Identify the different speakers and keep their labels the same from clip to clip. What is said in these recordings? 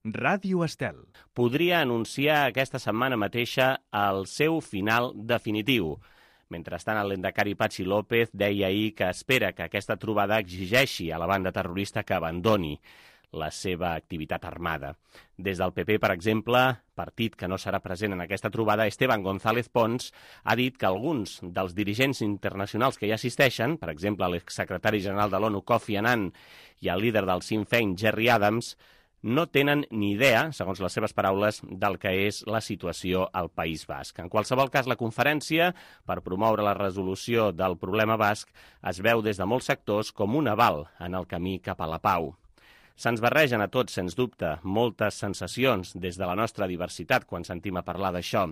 Speaker 1: Ràdio Estel.
Speaker 2: Podria anunciar aquesta setmana mateixa el seu final definitiu. Mentrestant, el lehendakari Patxi López deia ahir que espera que aquesta trobada exigeixi a la banda terrorista que abandoni la seva activitat armada. Des del PP, per exemple, partit que no serà present en aquesta trobada, Esteban González Pons ha dit que alguns dels dirigents internacionals que hi assisteixen, per exemple, l'exsecretari general de l'ONU Kofi Annan i el líder del Sinn Féin, Gerry Adams, no tenen ni idea, segons les seves paraules, del que és la situació al País Basc. En qualsevol cas, la conferència per promoure la resolució del problema basc es veu des de molts sectors com un aval en el camí cap a la pau. Se'ns barregen a tots, sens dubte, moltes sensacions des de la nostra diversitat quan sentim a parlar d'això.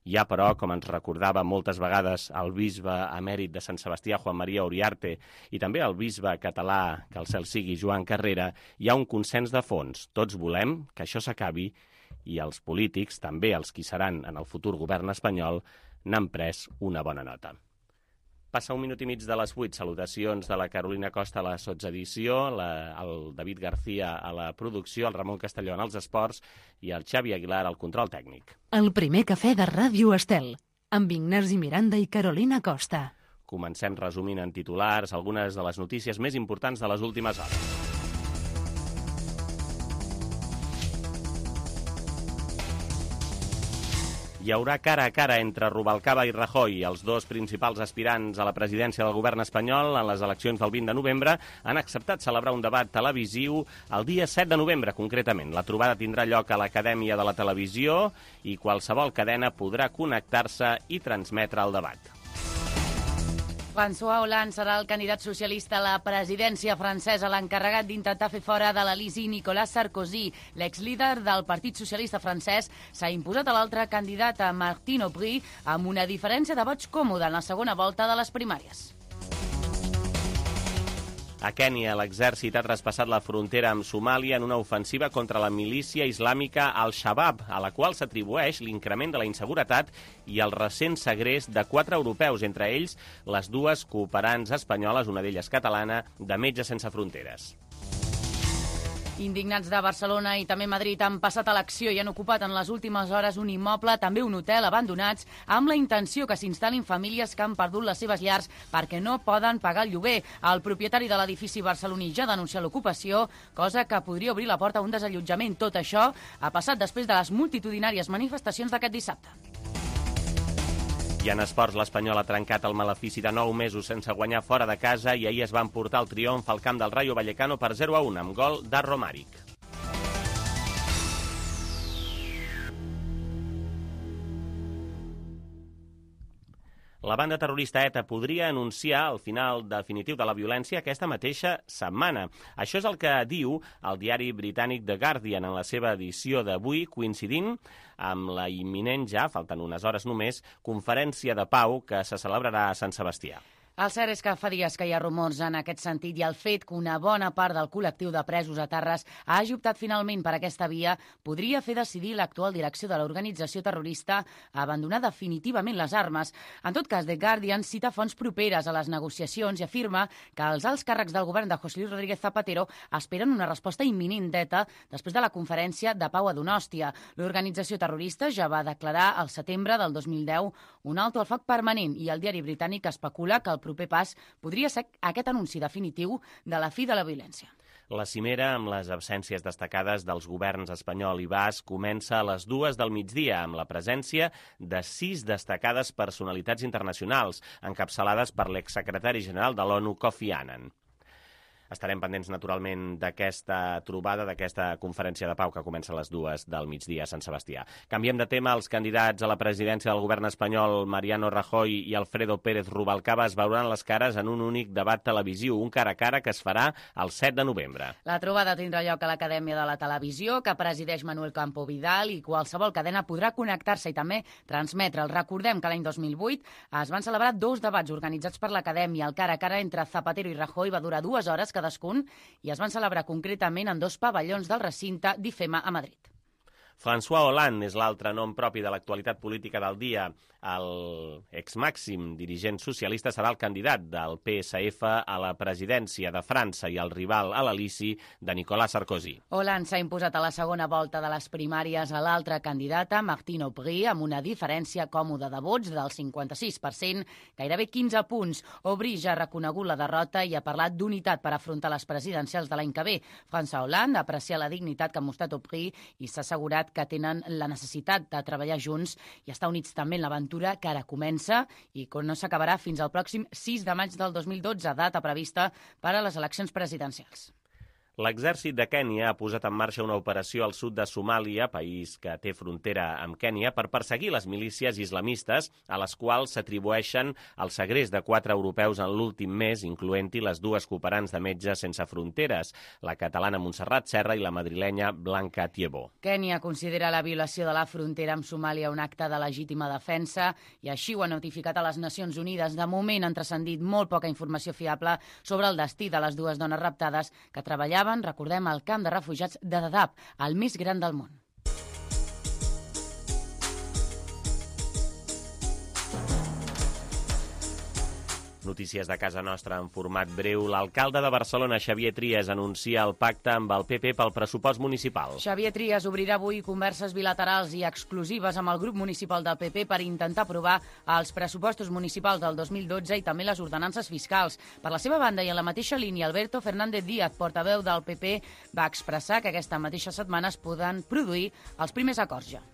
Speaker 2: Hi ha, però, com ens recordava moltes vegades el bisbe emèrit de Sant Sebastià, Juan María Uriarte, i també el bisbe català, que el cel sigui, Joan Carrera, hi ha un consens de fons. Tots volem que això s'acabi i els polítics, també els qui seran en el futur govern espanyol, n'han pres una bona nota. Passa 1 minut i mig de les 8. Salutacions de la Carolina Costa a la sotsedició, el David García a la producció, el Ramon Castelló en els esports i el Xavi Aguilar al control tècnic.
Speaker 3: El primer cafè de Ràdio Estel, amb Ignasi Miranda i Carolina Costa.
Speaker 2: Comencem resumint en titulars algunes de les notícies més importants de les últimes hores. Hi haurà cara a cara entre Rubalcaba i Rajoy. Els dos principals aspirants a la presidència del govern espanyol en les eleccions del 20 de novembre han acceptat celebrar un debat televisiu el dia 7 de novembre, concretament. La trobada tindrà lloc a l'Acadèmia de la Televisió i qualsevol cadena podrà connectar-se i transmetre el debat.
Speaker 4: François Hollande serà el candidat socialista a la presidència francesa, l'encarregat d'intentar fer fora de l'Elisi Nicolas Sarkozy. L'exlíder del Partit Socialista francès s'ha imposat a l'altre candidat, a Martine Aubry, amb una diferència de vots còmoda en la segona volta de les primàries.
Speaker 2: A Kènia, l'exèrcit ha traspassat la frontera amb Somàlia en una ofensiva contra la milícia islàmica Al-Shabaab, a la qual s'atribueix l'increment de la inseguretat i el recent segrest de 4 europeus, entre ells les 2 cooperants espanyoles, una d'elles catalana, de Metges Sense Fronteres.
Speaker 4: Indignats de Barcelona i també Madrid han passat a l'acció i han ocupat en les últimes hores un immoble, també un hotel, abandonats, amb la intenció que s'instal·lin famílies que han perdut les seves llars perquè no poden pagar el lloguer. El propietari de l'edifici barceloní ja ha denunciat l'ocupació, cosa que podria obrir la porta a un desallotjament. Tot això ha passat després de les multitudinàries manifestacions d'aquest dissabte.
Speaker 2: I en esports, l'Espanyol ha trencat el malefici de 9 mesos sense guanyar fora de casa i ahir es va emportar el triomf al camp del Rayo Vallecano per 0-1 amb gol d'Arro Maric. La banda terrorista ETA podria anunciar el final definitiu de la violència aquesta mateixa setmana. Això és el que diu el diari britànic The Guardian en la seva edició d'avui, coincidint amb la imminent, ja falten unes hores només, conferència de pau que se celebrarà a Sant Sebastià.
Speaker 4: El cert és que fa dies que hi ha rumors en aquest sentit i el fet que una bona part del col·lectiu de presos a Terres hagi optat finalment per aquesta via podria fer decidir l'actual direcció de l'organització terrorista a abandonar definitivament les armes. En tot cas, The Guardian cita fonts properes a les negociacions i afirma que els alts càrrecs del govern de José Luis Rodríguez Zapatero esperen una resposta imminent d'ETA després de la conferència de pau a Donòstia. L'organització terrorista ja va declarar al setembre del 2010 un alto al foc permanent i el diari britànic especula que el proper pas podria ser aquest anunci definitiu de la fi de la violència.
Speaker 2: La cimera, amb les absències destacades dels governs espanyol i basc, comença a les 2 del migdia, amb la presència de 6 destacades personalitats internacionals, encapçalades per l'exsecretari general de l'ONU, Kofi Annan. Estarem pendents, naturalment, d'aquesta trobada, d'aquesta conferència de pau que comença a les 2 del migdia a Sant Sebastià. Canviem de tema. Els candidats a la presidència del govern espanyol, Mariano Rajoy i Alfredo Pérez Rubalcaba, es veuran les cares en un únic debat televisiu, un cara a cara que es farà el 7 de novembre.
Speaker 4: La trobada tindrà lloc a l'Acadèmia de la Televisió, que presideix Manuel Campo Vidal, i qualsevol cadena podrà connectar-se i també transmetre'l. Recordem que l'any 2008 es van celebrar 2 debats organitzats per l'Acadèmia. El cara a cara entre Zapatero i Rajoy va durar 2 hores cadascun i es van celebrar concretament en 2 pavellons del recinte d'IFEMA a Madrid.
Speaker 2: François Hollande és l'altre nom propi de l'actualitat política del dia. El exmàxim dirigent socialista serà el candidat del PSF a la presidència de França i el rival a l'Elisi de Nicolas Sarkozy.
Speaker 4: Hollande s'ha imposat a la segona volta de les primàries a l'altra candidata, Martine Aubry, amb una diferència còmoda de vots del 56%, gairebé 15 punts. Aubry ja ha reconegut la derrota i ha parlat d'unitat per afrontar les presidencials de l'any que ve. François Hollande ha apreciat la dignitat que ha mostrat Aubry i s'ha assegurat que tenen la necessitat de treballar junts i estar units també en l'aventura que ara comença i que no s'acabarà fins al pròxim 6 de maig del 2012, data prevista per a les eleccions presidencials.
Speaker 2: L'exèrcit de Kènia ha posat en marxa una operació al sud de Somàlia, país que té frontera amb Kènia, per perseguir les milícies islamistes a les quals s'atribueixen el segrest de 4 europeus en l'últim mes, incloent-hi les 2 cooperants de Metges Sense Fronteres, la catalana Montserrat Serra i la madrilenya Blanca Tiebó.
Speaker 4: Kènia considera la violació de la frontera amb Somàlia un acte de legítima defensa i així ho ha notificat a les Nacions Unides. De moment han transcendit molt poca informació fiable sobre el destí de les 2 dones raptades que treballaven, recordem, al camp de refugiats de Dadaab, el més gran del món.
Speaker 2: Notícies de casa nostra en format breu. L'alcalde de Barcelona, Xavier Trias, anuncia el pacte amb el PP pel pressupost municipal.
Speaker 4: Xavier Trias obrirà avui converses bilaterals i exclusives amb el grup municipal del PP per intentar aprovar els pressupostos municipals del 2012 i també les ordenances fiscals. Per la seva banda i en la mateixa línia, Alberto Fernández Díaz, portaveu del PP, va expressar que aquesta mateixa setmana es poden produir els primers acords ja.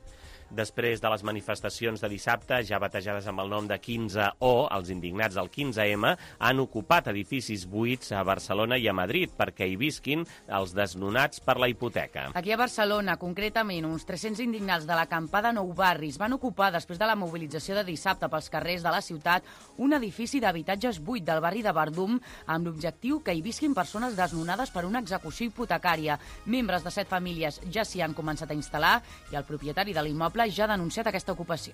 Speaker 2: Després de les manifestacions de dissabte, ja batejades amb el nom de 15O, els indignats del 15M han ocupat edificis buits a Barcelona i a Madrid perquè hi visquin els desnonats per la hipoteca.
Speaker 4: Aquí a Barcelona, concretament, uns 300 indignats de l'acampada Nou Barris van ocupar, després de la mobilització de dissabte pels carrers de la ciutat, un edifici d'habitatges buit del barri de Verdum amb l'objectiu que hi visquin persones desnonades per una execució hipotecària. Membres de 7 famílies ja s'hi han començat a instal·lar i el propietari de l'immoble ja ha denunciat aquesta ocupació.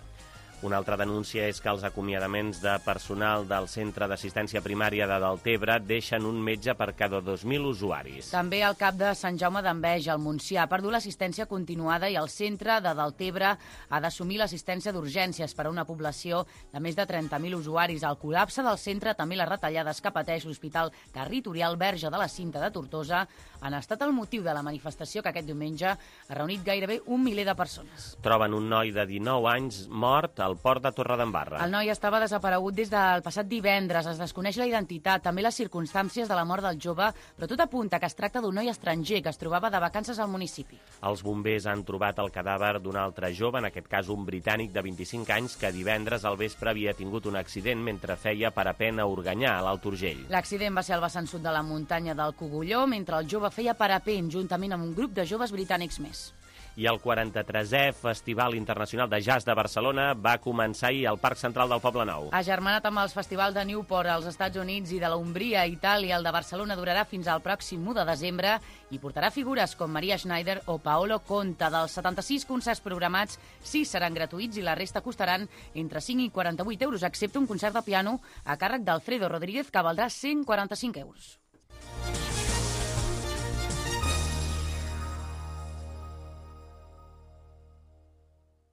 Speaker 2: Una altra denúncia és que els acomiadaments de personal del Centre d'Assistència Primària de Deltebre deixen un metge per cada 2.000 usuaris.
Speaker 4: També el cap de Sant Jaume d'Enveja, al Montsià, ha perdut l'assistència continuada i el centre de Deltebre ha d'assumir l'assistència d'urgències per a una població de més de 30.000 usuaris. El col·lapse del centre, també les retallades que pateix l'Hospital Territorial Verge de la Cinta de Tortosa, han estat el motiu de la manifestació que aquest diumenge ha reunit gairebé 1 miler de persones.
Speaker 2: Troben un noi de 19 anys mort al port de Torredembarra.
Speaker 4: El noi estava desaparegut des del passat divendres. Es desconeix la identitat, també les circumstàncies de la mort del jove, però tot apunta que es tracta d'un noi estranger que es trobava de vacances al municipi.
Speaker 2: Els bombers han trobat el cadàver d'un altre jove, en aquest cas un britànic de 25 anys, que divendres al vespre havia tingut un accident mentre feia parapent a Organyà, a l'Alt Urgell.
Speaker 4: L'accident va ser al vessant sud de la muntanya del Cogulló, mentre el jove feia parapent juntament amb un grup de joves britànics més.
Speaker 2: I el 43è Festival Internacional de Jazz de Barcelona va començar ahir al Parc Central del Poblenou.
Speaker 4: Agermanat amb els festivals de Newport als Estats Units i de la Umbria a Itàlia, el de Barcelona durarà fins al pròxim 1 de desembre i portarà figures com Maria Schneider o Paolo Conte. Dels 76 concerts programats, 6 seran gratuïts i la resta costaran entre 5 i 48 euros, excepte un concert de piano a càrrec d'Alfredo Rodríguez, que valdrà 145 euros.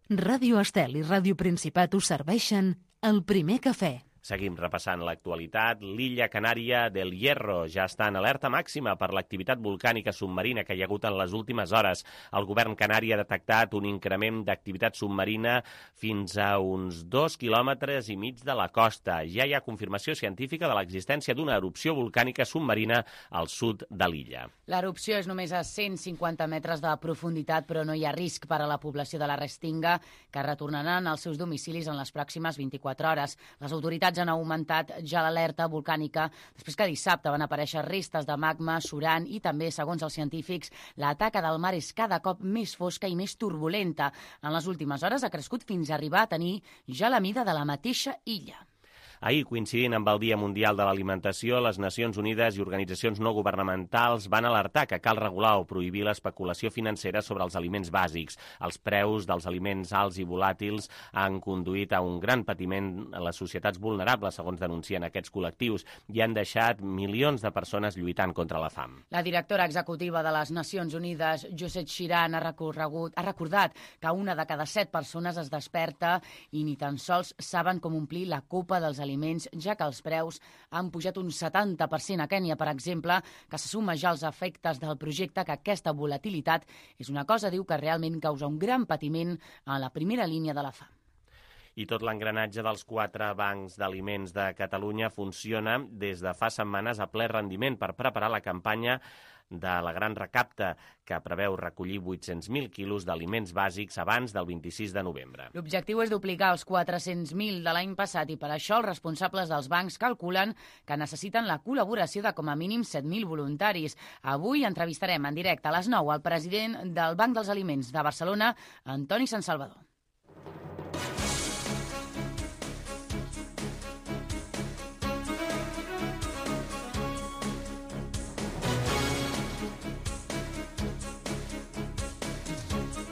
Speaker 3: Ràdio Estel i Ràdio Principat us serveixen el primer cafè.
Speaker 2: Seguim repassant l'actualitat. L'illa canària del Hierro ja està en alerta màxima per l'activitat volcànica submarina que hi ha hagut en les últimes hores. El govern canari ha detectat un increment d'activitat submarina fins a uns 2,5 quilòmetres de la costa. Ja hi ha confirmació científica de l'existència d'una erupció volcànica submarina al sud de l'illa.
Speaker 4: L'erupció és només a 150 metres de profunditat, però no hi ha risc per a la població de la Restinga, que retornaran als seus domicilis en les pròximes 24 hores. Les autoritats han augmentat ja l'alerta volcànica després que dissabte van aparèixer restes de magma surant i també, segons els científics, la taca del mar és cada cop més fosca i més turbulenta. En les últimes hores ha crescut fins a arribar a tenir ja la mida de la mateixa illa.
Speaker 2: Ahir, coincidint amb el Dia Mundial de l'Alimentació, les Nacions Unides i organitzacions no governamentals van alertar que cal regular o prohibir l'especulació financera sobre els aliments bàsics. Els preus dels aliments alts i volàtils han conduït a un gran patiment a les societats vulnerables, segons denuncien aquests col·lectius, i han deixat milions de persones lluitant contra la fam.
Speaker 4: La directora executiva de les Nacions Unides, Josette Chiran, ha recordat que una de cada 7 persones es desperta i ni tan sols saben com omplir la copa dels aliments, ja que els preus han pujat un 70% a Kènia, per exemple, que se suma ja als efectes del projecte, que aquesta volatilitat és una cosa, diu, que realment causa un gran patiment a la primera línia de la fam.
Speaker 2: I tot l'engranatge dels 4 bancs d'aliments de Catalunya funciona des de fa setmanes a ple rendiment per preparar la campanya de la Gran Recapta, que preveu recollir 800.000 quilos d'aliments bàsics abans del 26 de novembre.
Speaker 4: L'objectiu és duplicar els 400.000 de l'any passat i per això els responsables dels bancs calculen que necessiten la col·laboració de com a mínim 7.000 voluntaris. Avui entrevistarem en directe a les 9 al president del Banc dels Aliments de Barcelona, Antoni Sansalvador.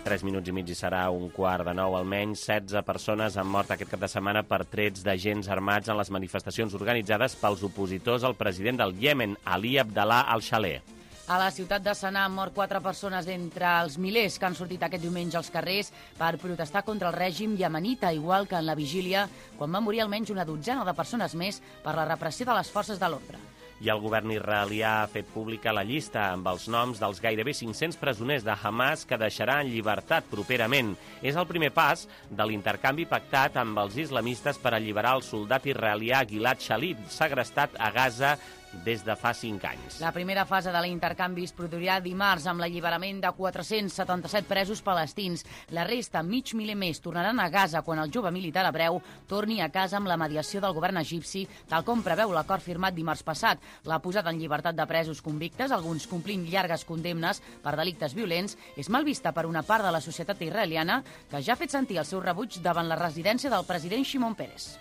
Speaker 2: Tres minuts i mig i serà 8:45. Almenys 16 persones han mort aquest cap de setmana per trets d'agents armats en les manifestacions organitzades pels opositors al president del Iemen, Ali Abdallah al-Shaleh.
Speaker 4: A la ciutat de Sanà han mort 4 persones d'entre els milers que han sortit aquest diumenge als carrers per protestar contra el règim iemenita, igual que en la vigília, quan va morir almenys una dotzena de persones més per la repressió de les forces de l'ordre.
Speaker 2: I el govern israelià ha fet pública la llista amb els noms dels gairebé 500 presoners de Hamas que deixarà en llibertat properament. És el primer pas de l'intercanvi pactat amb els islamistes per alliberar el soldat israelià Gilad Shalit, segrestat a Gaza des de fa 5 anys.
Speaker 4: La primera fase de l'intercanvi es produirà dimarts amb l'alliberament de 477 presos palestins. La resta, mig miler més, tornaran a Gaza quan el jove militar hebreu torni a casa amb la mediació del govern egipci, tal com preveu l'acord firmat dimarts passat. La posada en llibertat de presos convictes, alguns complint llargues condemnes per delictes violents, és mal vista per una part de la societat israeliana que ja ha fet sentir el seu rebuig davant la residència del president Shimon Peres.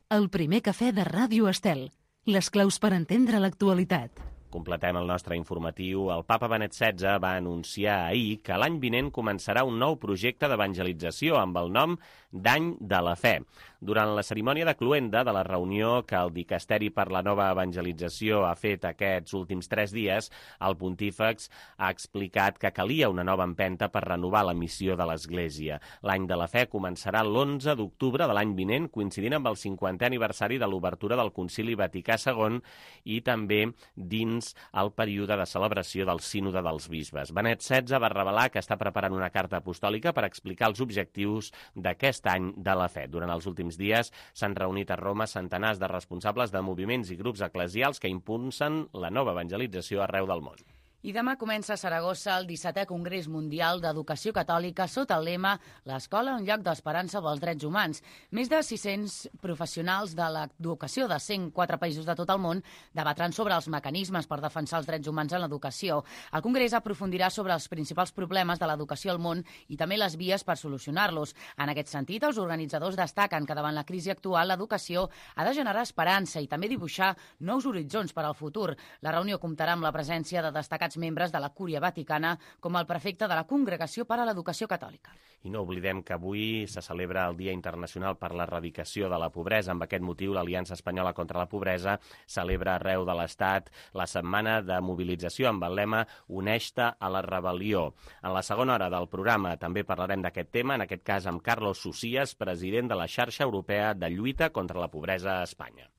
Speaker 3: El primer cafè de Ràdio Estel. Les claus per entendre l'actualitat.
Speaker 2: Completem el nostre informatiu. El papa Benet XVI va anunciar ahir que l'any vinent començarà un nou projecte d'evangelització amb el nom d'Any de la Fe. Durant la cerimònia de cloenda de la reunió que el Dicasteri per la Nova Evangelització ha fet aquests últims 3 dies, el pontífex ha explicat que calia una nova empenta per renovar la missió de l'Església. L'Any de la Fe començarà l'11 d'octubre de l'any vinent, coincidint amb el 50è aniversari de l'obertura del Concili Vaticà II i també dins el període de celebració del Sínode dels Bisbes. Benet XVI va revelar que està preparant una carta apostòlica per explicar els objectius d'aquest any de la fe. Durant els últims dies s'han reunit a Roma centenars de responsables de moviments i grups eclesials que impulsen la nova evangelització arreu del món.
Speaker 4: I demà comença a Saragossa el 17è Congrés Mundial d'Educació Catòlica sota el lema «L'escola, un lloc d'esperança pels drets humans». Més de 600 professionals de l'educació de 104 països de tot el món debatran sobre els mecanismes per defensar els drets humans en l'educació. El Congrés aprofundirà sobre els principals problemes de l'educació al món i també les vies per solucionar-los. En aquest sentit, els organitzadors destaquen que davant la crisi actual l'educació ha de generar esperança i també dibuixar nous horitzons per al futur. La reunió comptarà amb la presència de destacats membres de la Cúria Vaticana, com el prefecte de la Congregació per a l'Educació Catòlica.
Speaker 2: I no oblidem que avui se celebra el Dia Internacional per l'Erradicació de la Pobresa. Amb aquest motiu, l'Aliança Espanyola contra la Pobresa celebra arreu de l'Estat la setmana de mobilització amb el lema «Uneix-te a la rebel·lió». En la segona hora del programa també parlarem d'aquest tema, en aquest cas amb Carlos Socias, president de la Xarxa Europea de Lluita contra la Pobresa a Espanya.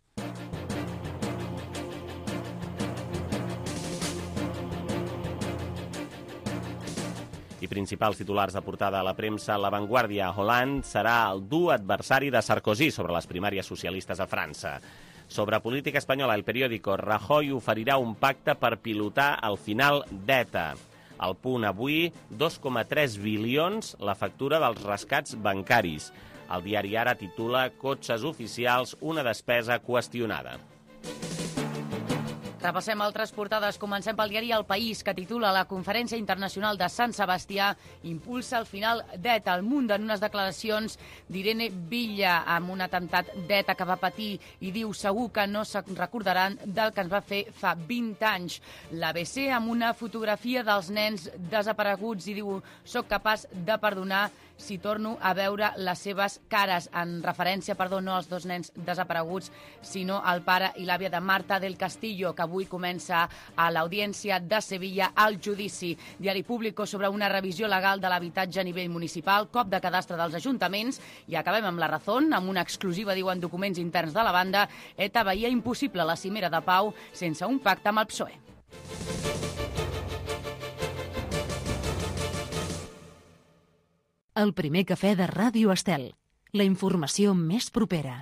Speaker 2: I principals titulars de portada a la premsa, La Vanguardia. Hollande serà el dur adversari de Sarkozy sobre les primàries socialistes a França. Sobre política espanyola, El Periódico. Rajoy oferirà un pacte per pilotar el final d'ETA. Al Punt avui, 2,3 bilions la factura dels rescats bancaris. El diari Ara titula Cotxes oficials, una despesa qüestionada.
Speaker 4: Repassem altres portades. Comencem pel diari El País, que titula La Conferència Internacional de Sant Sebastià impulsa el final d'ETA. El Mundo, en unes declaracions d'Irene Villa, amb un atemptat d'ETA que va patir, i diu segur que no se'n recordaran del que ens va fer fa 20 anys. L'ABC, amb una fotografia dels nens desapareguts, i diu soc capaç de perdonar si torno a veure les seves cares, en referència, no als dos nens desapareguts, sinó al pare i l'àvia de Marta del Castillo, que avui comença a l'Audiència de Sevilla el judici. Diari Público sobre una revisió legal de l'habitatge a nivell municipal, cop de cadastre dels ajuntaments, i acabem amb La Razón, amb una exclusiva, diuen documents interns de la banda. ETA veia impossible la cimera de pau sense un pacte amb el PSOE.
Speaker 3: El primer cafè de Ràdio Estel. La informació més propera.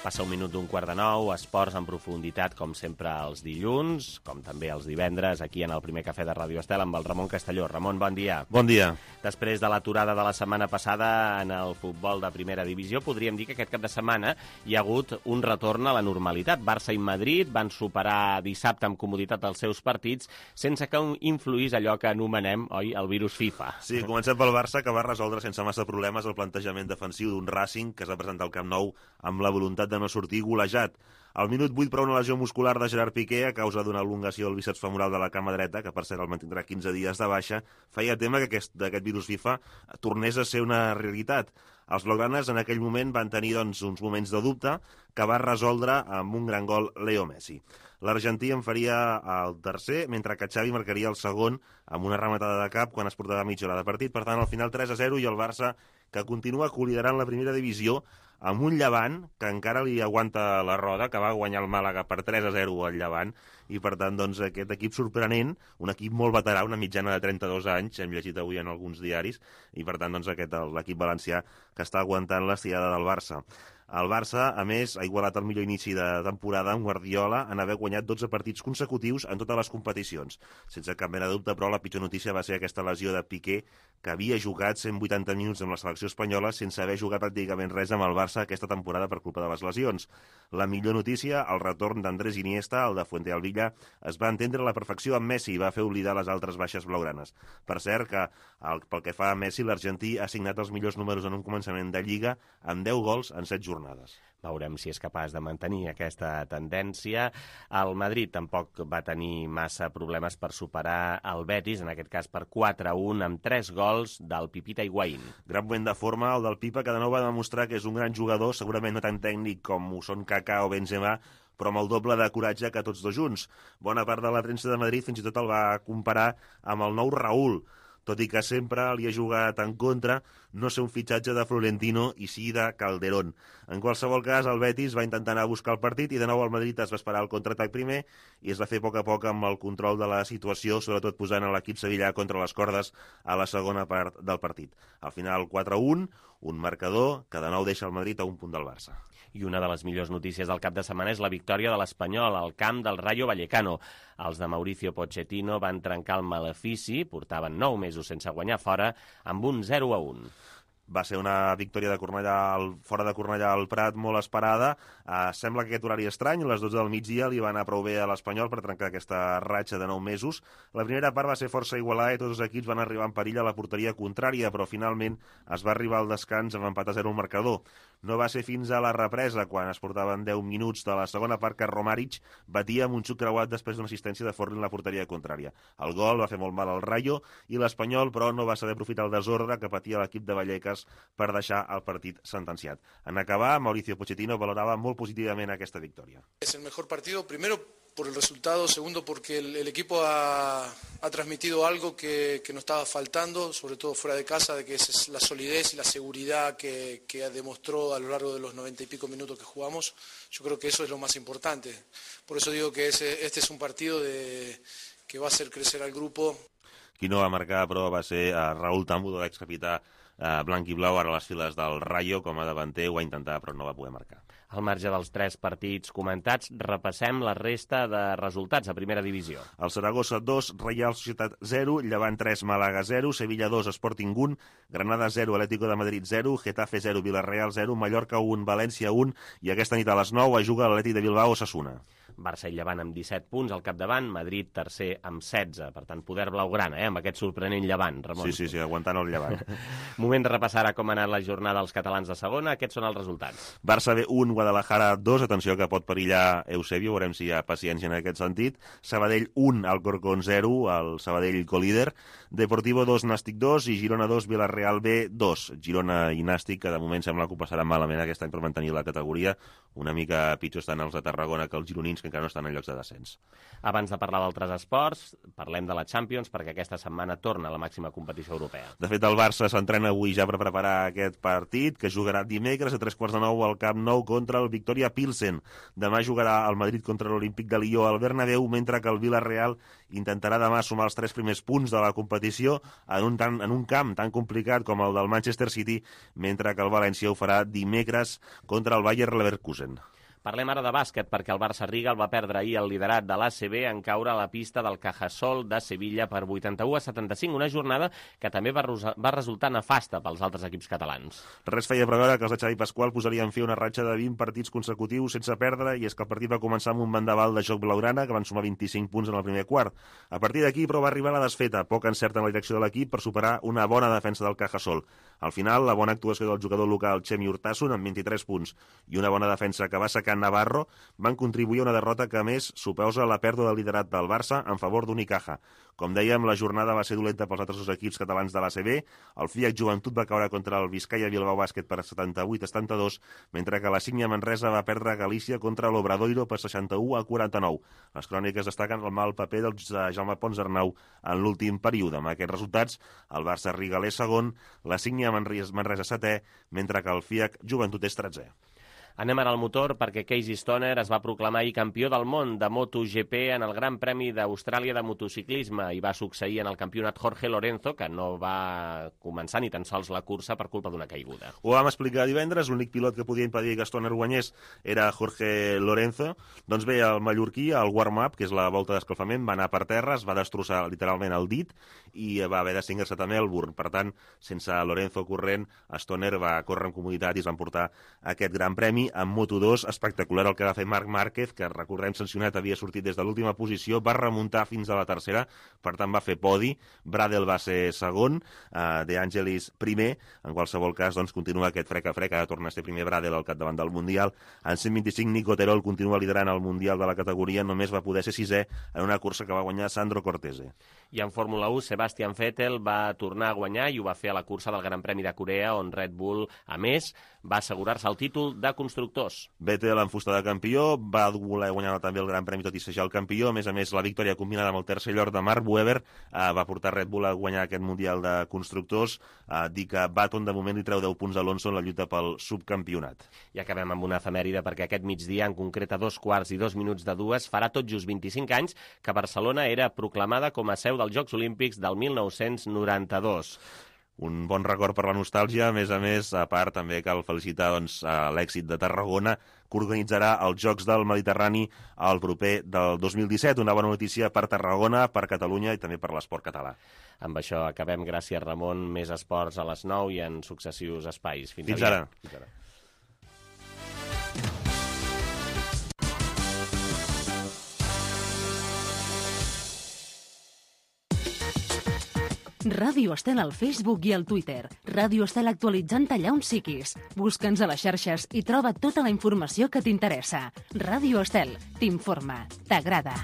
Speaker 2: Passa un minut d'un quart de nou, esports en profunditat, com sempre, els dilluns, com també els divendres, aquí en el primer cafè de Ràdio Estel, amb el Ramon Castelló. Ramon, bon dia.
Speaker 1: Bon dia.
Speaker 2: Després de l'aturada de la setmana passada en el futbol de primera divisió, podríem dir que aquest cap de setmana hi ha hagut un retorn a la normalitat. Barça i Madrid van superar dissabte amb comoditat els seus partits, sense que influís allò que anomenem, oi, el virus FIFA.
Speaker 1: Sí, comencem pel Barça, que va resoldre sense massa problemes el plantejament defensiu d'un Racing que es va presentar al Camp Nou amb la voluntat de no sortir golejat. Al minut 8, però, una lesió muscular de Gerard Piqué a causa d'una elongació del bíceps femoral de la cama dreta, que per cert el mantindrà 15 dies de baixa, feia tema que aquest virus FIFA tornés a ser una realitat. Els blaugranes en aquell moment van tenir uns moments de dubte que va resoldre amb un gran gol Leo Messi. L'argentí en faria el tercer, mentre que Xavi marcaria el segon amb una rematada de cap quan es portava mitja hora de partit. Per tant, al final 3-0 i el Barça, que continua coliderant la primera divisió, amb un Llevant que encara li aguanta la roda, que va guanyar el Màlaga per 3-0 al Llevant, i per tant doncs, aquest equip sorprenent, un equip molt veterà, una mitjana de 32 anys, hem llegit avui en alguns diaris, i per tant doncs, l'equip valencià que està aguantant l'estirada del Barça. El Barça, a més, ha igualat el millor inici de temporada amb Guardiola en haver guanyat 12 partits consecutius en totes les competicions. Sense cap mena de dubte, però, la pitjor notícia va ser aquesta lesió de Piqué, que havia jugat 180 minuts amb la selecció espanyola sense haver jugat pràcticament res amb el Barça aquesta temporada per culpa de les lesions. La millor notícia, el retorn d'Andrés Iniesta, el de Fuentealbilla, es va entendre a la perfecció amb Messi i va fer oblidar les altres baixes blaugranes. Per cert, que pel que fa a Messi, l'argentí ha signat els millors números en un començament de Lliga amb 10 gols en 7 jornades.
Speaker 2: Veurem si és capaç de mantenir aquesta tendència. El Madrid tampoc va tenir massa problemes per superar el Betis, en aquest cas per 4-1, amb 3 gols del Pipita Higuaín.
Speaker 1: Gran moment de forma, el del Pipa, que de nou va demostrar que és un gran jugador, segurament no tan tècnic com ho són Kaká o Benzema, però amb el doble de coratge que tots dos junts. Bona part de la premsa de Madrid fins i tot el va comparar amb el nou Raúl, tot i que sempre li ha jugat en contra no ser un fitxatge de Florentino i sí de Calderón. En qualsevol cas, el Betis va intentar anar a buscar el partit i de nou el Madrid es va esperar el contraatac primer i es va fer a poc amb el control de la situació, sobretot posant l'equip sevillà contra les cordes a la segona part del partit. Al final 4-1, un marcador que de nou deixa el Madrid a un punt del Barça.
Speaker 2: I una de les millors notícies del cap de setmana és la victòria de l'Espanyol al camp del Rayo Vallecano. Els de Mauricio Pochettino van trencar el malefici, portaven 9 mesos sense guanyar fora, amb un 0-1.
Speaker 1: Va ser una victòria de Cornellà fora de Cornellà al Prat molt esperada. Sembla que aquest horari estrany, a les 12 del migdia, li va anar prou bé a l'Espanyol per trencar aquesta ratxa de 9 mesos. La primera part va ser força igualada i tots els equips van arribar en perill a la porteria contrària, però finalment es va arribar al descans amb empat a 0 al marcador. No va ser fins a la represa, quan es portaven 10 minuts de la segona part, que Romaric batia amb un xuc creuat després d'una assistència de Forlín a la porteria contrària. El gol va fer molt mal al Rayo i l'Espanyol, però, no va saber aprofitar el desordre que patia l'equip de Vallecas per deixar el partit sentenciat. En acabar, Mauricio Pochettino valorava molt positivament aquesta victòria.
Speaker 5: Es el mejor partido, primero por el resultado, segundo porque el equipo ha transmitido algo que nos estaba faltando, sobre todo fuera de casa, de que es la solidez y la seguridad que demostró a lo largo de los 90 y pico minutos que jugamos. Yo creo que eso es lo más importante. Por eso digo que este es un partido que va a hacer crecer al grupo.
Speaker 1: Qui no va marcar, però, va ser Raúl Tambudo, l'excapità blanc i blau, ara a les files del Rayo, com a davanter, ho va intentar, però no va poder marcar.
Speaker 2: Al marge dels 3 partits comentats, repassem la resta de resultats a primera divisió.
Speaker 1: El Saragossa 2, Reial Societat 0, Llevant 3, Màlaga 0, Sevilla 2, Sporting 1, Granada 0, Atlético de Madrid 0, Getafe 0, Villarreal 0, Mallorca 1, València 1 i aquesta nit a les 9 juga l'Atlètic de Bilbao Osasuna.
Speaker 2: Barça i Llevant amb 17 punts al capdavant, Madrid tercer amb 16, per tant poder blaugrana, amb aquest sorprenent Llevant, Ramon.
Speaker 1: Sí, aguantant el Llevant.
Speaker 2: Moment de repassar com ha anat la jornada dels catalans de segona, aquests són els resultats.
Speaker 1: Barça B 1, Guadalajara 2, atenció que pot perillar Eusebio, veurem si hi ha paciència en aquest sentit. Sabadell 1, Alcorcón 0, el Sabadell colíder. Deportivo 2, Nàstic 2 i Girona 2, Villarreal B 2. Girona i Nàstic, que de moment sembla que ho passaran malament aquest any per mantenir la categoria. Una mica pitjor estan els de Tarragona que els gironins, que encara no estan en llocs de descens.
Speaker 2: Abans de parlar d'altres esports, parlem de la Champions, perquè aquesta setmana torna a la màxima competició europea.
Speaker 1: De fet, el Barça s'entrena avui ja per preparar aquest partit, que jugarà dimecres a 3:15 al Camp Nou contra el Victoria Pilsen. Demà jugarà el Madrid contra l'Olímpic de Lió al Bernabéu, mentre que el Villarreal intentarà demà sumar els 3 primers punts de la competició en un camp tan complicat com el del Manchester City, mentre que el València ho farà dimecres contra el Bayer Leverkusen.
Speaker 2: Parlem ara de bàsquet, perquè el Barça Riga el va perdre ahir el liderat de l'ACB en caure a la pista del Cajasol de Sevilla per 81-75, una jornada que també va resultar nefasta pels altres equips catalans.
Speaker 1: Res feia preveure que els de Xavi Pasqual posarien fi a una ratxa de 20 partits consecutius sense perdre, i és que el partit va començar amb un vendaval de joc blaugrana, que van sumar 25 punts en el primer quart. A partir d'aquí, però, va arribar la desfeta, poc encert en la direcció de l'equip per superar una bona defensa del Cajasol. Al final, la bona actuació del jugador local Chemi Urtasun, amb 23 punts, i una bona defensa que va sacar Navarro, van contribuir a una derrota que, a més, suposa la pèrdua del liderat del Barça en favor d'Unicaja. Com dèiem, la jornada va ser dolenta pels altres 2 equips catalans de l'ACB. El FIAC Joventut va caure contra el Vizcaya Bilbao Bàsquet per 78-72, mentre que la Sígnia Manresa va perdre a Galícia contra l'Obradoiro per 61-49. Les cròniques destaquen el mal paper del Jaume Pons Arnau en l'últim període. Amb aquests resultats, el Barça Riga és segon, la Sígnia Manresa setè, mentre que el FIAC Joventut és 13è.
Speaker 2: Anem ara al motor, perquè Casey Stoner es va proclamar ahir campió del món de MotoGP en el Gran Premi d'Austràlia de motociclisme i va succeir en el campionat Jorge Lorenzo, que no va començar ni tan sols la cursa per culpa d'una caiguda.
Speaker 1: Ho vam explicar divendres, l'únic pilot que podia impedir que Stoner guanyés era Jorge Lorenzo. Doncs bé, el mallorquí, al warm-up, que és la volta d'escalfament, va anar per terra, es va destrossar literalment el dit i va haver d'extingir-se també el Melbourne. Per tant, sense Lorenzo corrent, Stoner va córrer amb comoditat i es van portar aquest Gran Premi. En Moto2, espectacular el que va fer Marc Márquez, que recordem sancionat, havia sortit des de l'última posició, va remuntar fins a la tercera, per tant va fer podi, Bradel va ser segon, De Angelis primer, en qualsevol cas doncs continua aquest frec a frec, ara torna a ser primer Bradel al capdavant del Mundial. En 125, Nico Terol continua liderant el Mundial de la categoria, només va poder ser sisè en una cursa que va guanyar Sandro Cortese.
Speaker 2: I en Fórmula 1, Sebastian Vettel va tornar a guanyar i ho va fer a la cursa del Gran Premi de Corea, on Red Bull, a més, va assegurar-se el títol de constructors.
Speaker 1: Vettel en fusta de campió, va voler guanyar també el Gran Premi tot i ser ja el campió. A més, la victòria combinada amb el tercer lloc de Mark Webber va portar Red Bull a guanyar aquest Mundial de Constructors, dir que Baton de moment li treu 10 punts a Alonso en la lluita pel subcampionat.
Speaker 2: I acabem amb una efemèride, perquè aquest migdia, en concret a 2:02 farà tot just 25 anys que Barcelona era proclamada com a seu dels Jocs Olímpics del 1992.
Speaker 1: Un bon record per la nostàlgia, a més, a part també cal felicitar l'èxit de Tarragona, que organitzarà els Jocs del Mediterrani al proper del 2017. Una bona notícia per Tarragona, per Catalunya i també per l'esport català.
Speaker 2: Amb això acabem. Gràcies, Ramon. Més esports a les 9 i en successius espais.
Speaker 1: Fins ara.
Speaker 3: Ràdio Estel al Facebook i al Twitter. Ràdio Estel actualitzant allà on siguis. Busca'ns a les xarxes i troba tota la informació que t'interessa. Ràdio Estel t'informa, t'agrada.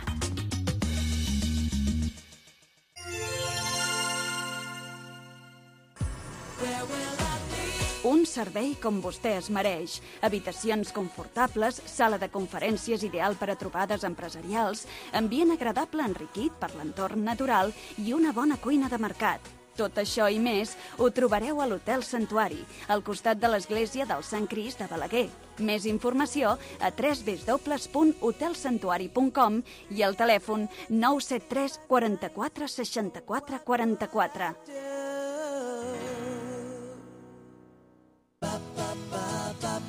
Speaker 6: Un servei com vostè es mereix. Habitacions confortables, sala de conferències ideal per a trobades empresarials, ambient agradable enriquit per l'entorn natural i una bona cuina de mercat. Tot això i més ho trobareu a l'Hotel Santuari, al costat de l'església del Sant Crist de Balaguer. Més informació a www.hotelsantuari.com i al telèfon 973 44 64 44.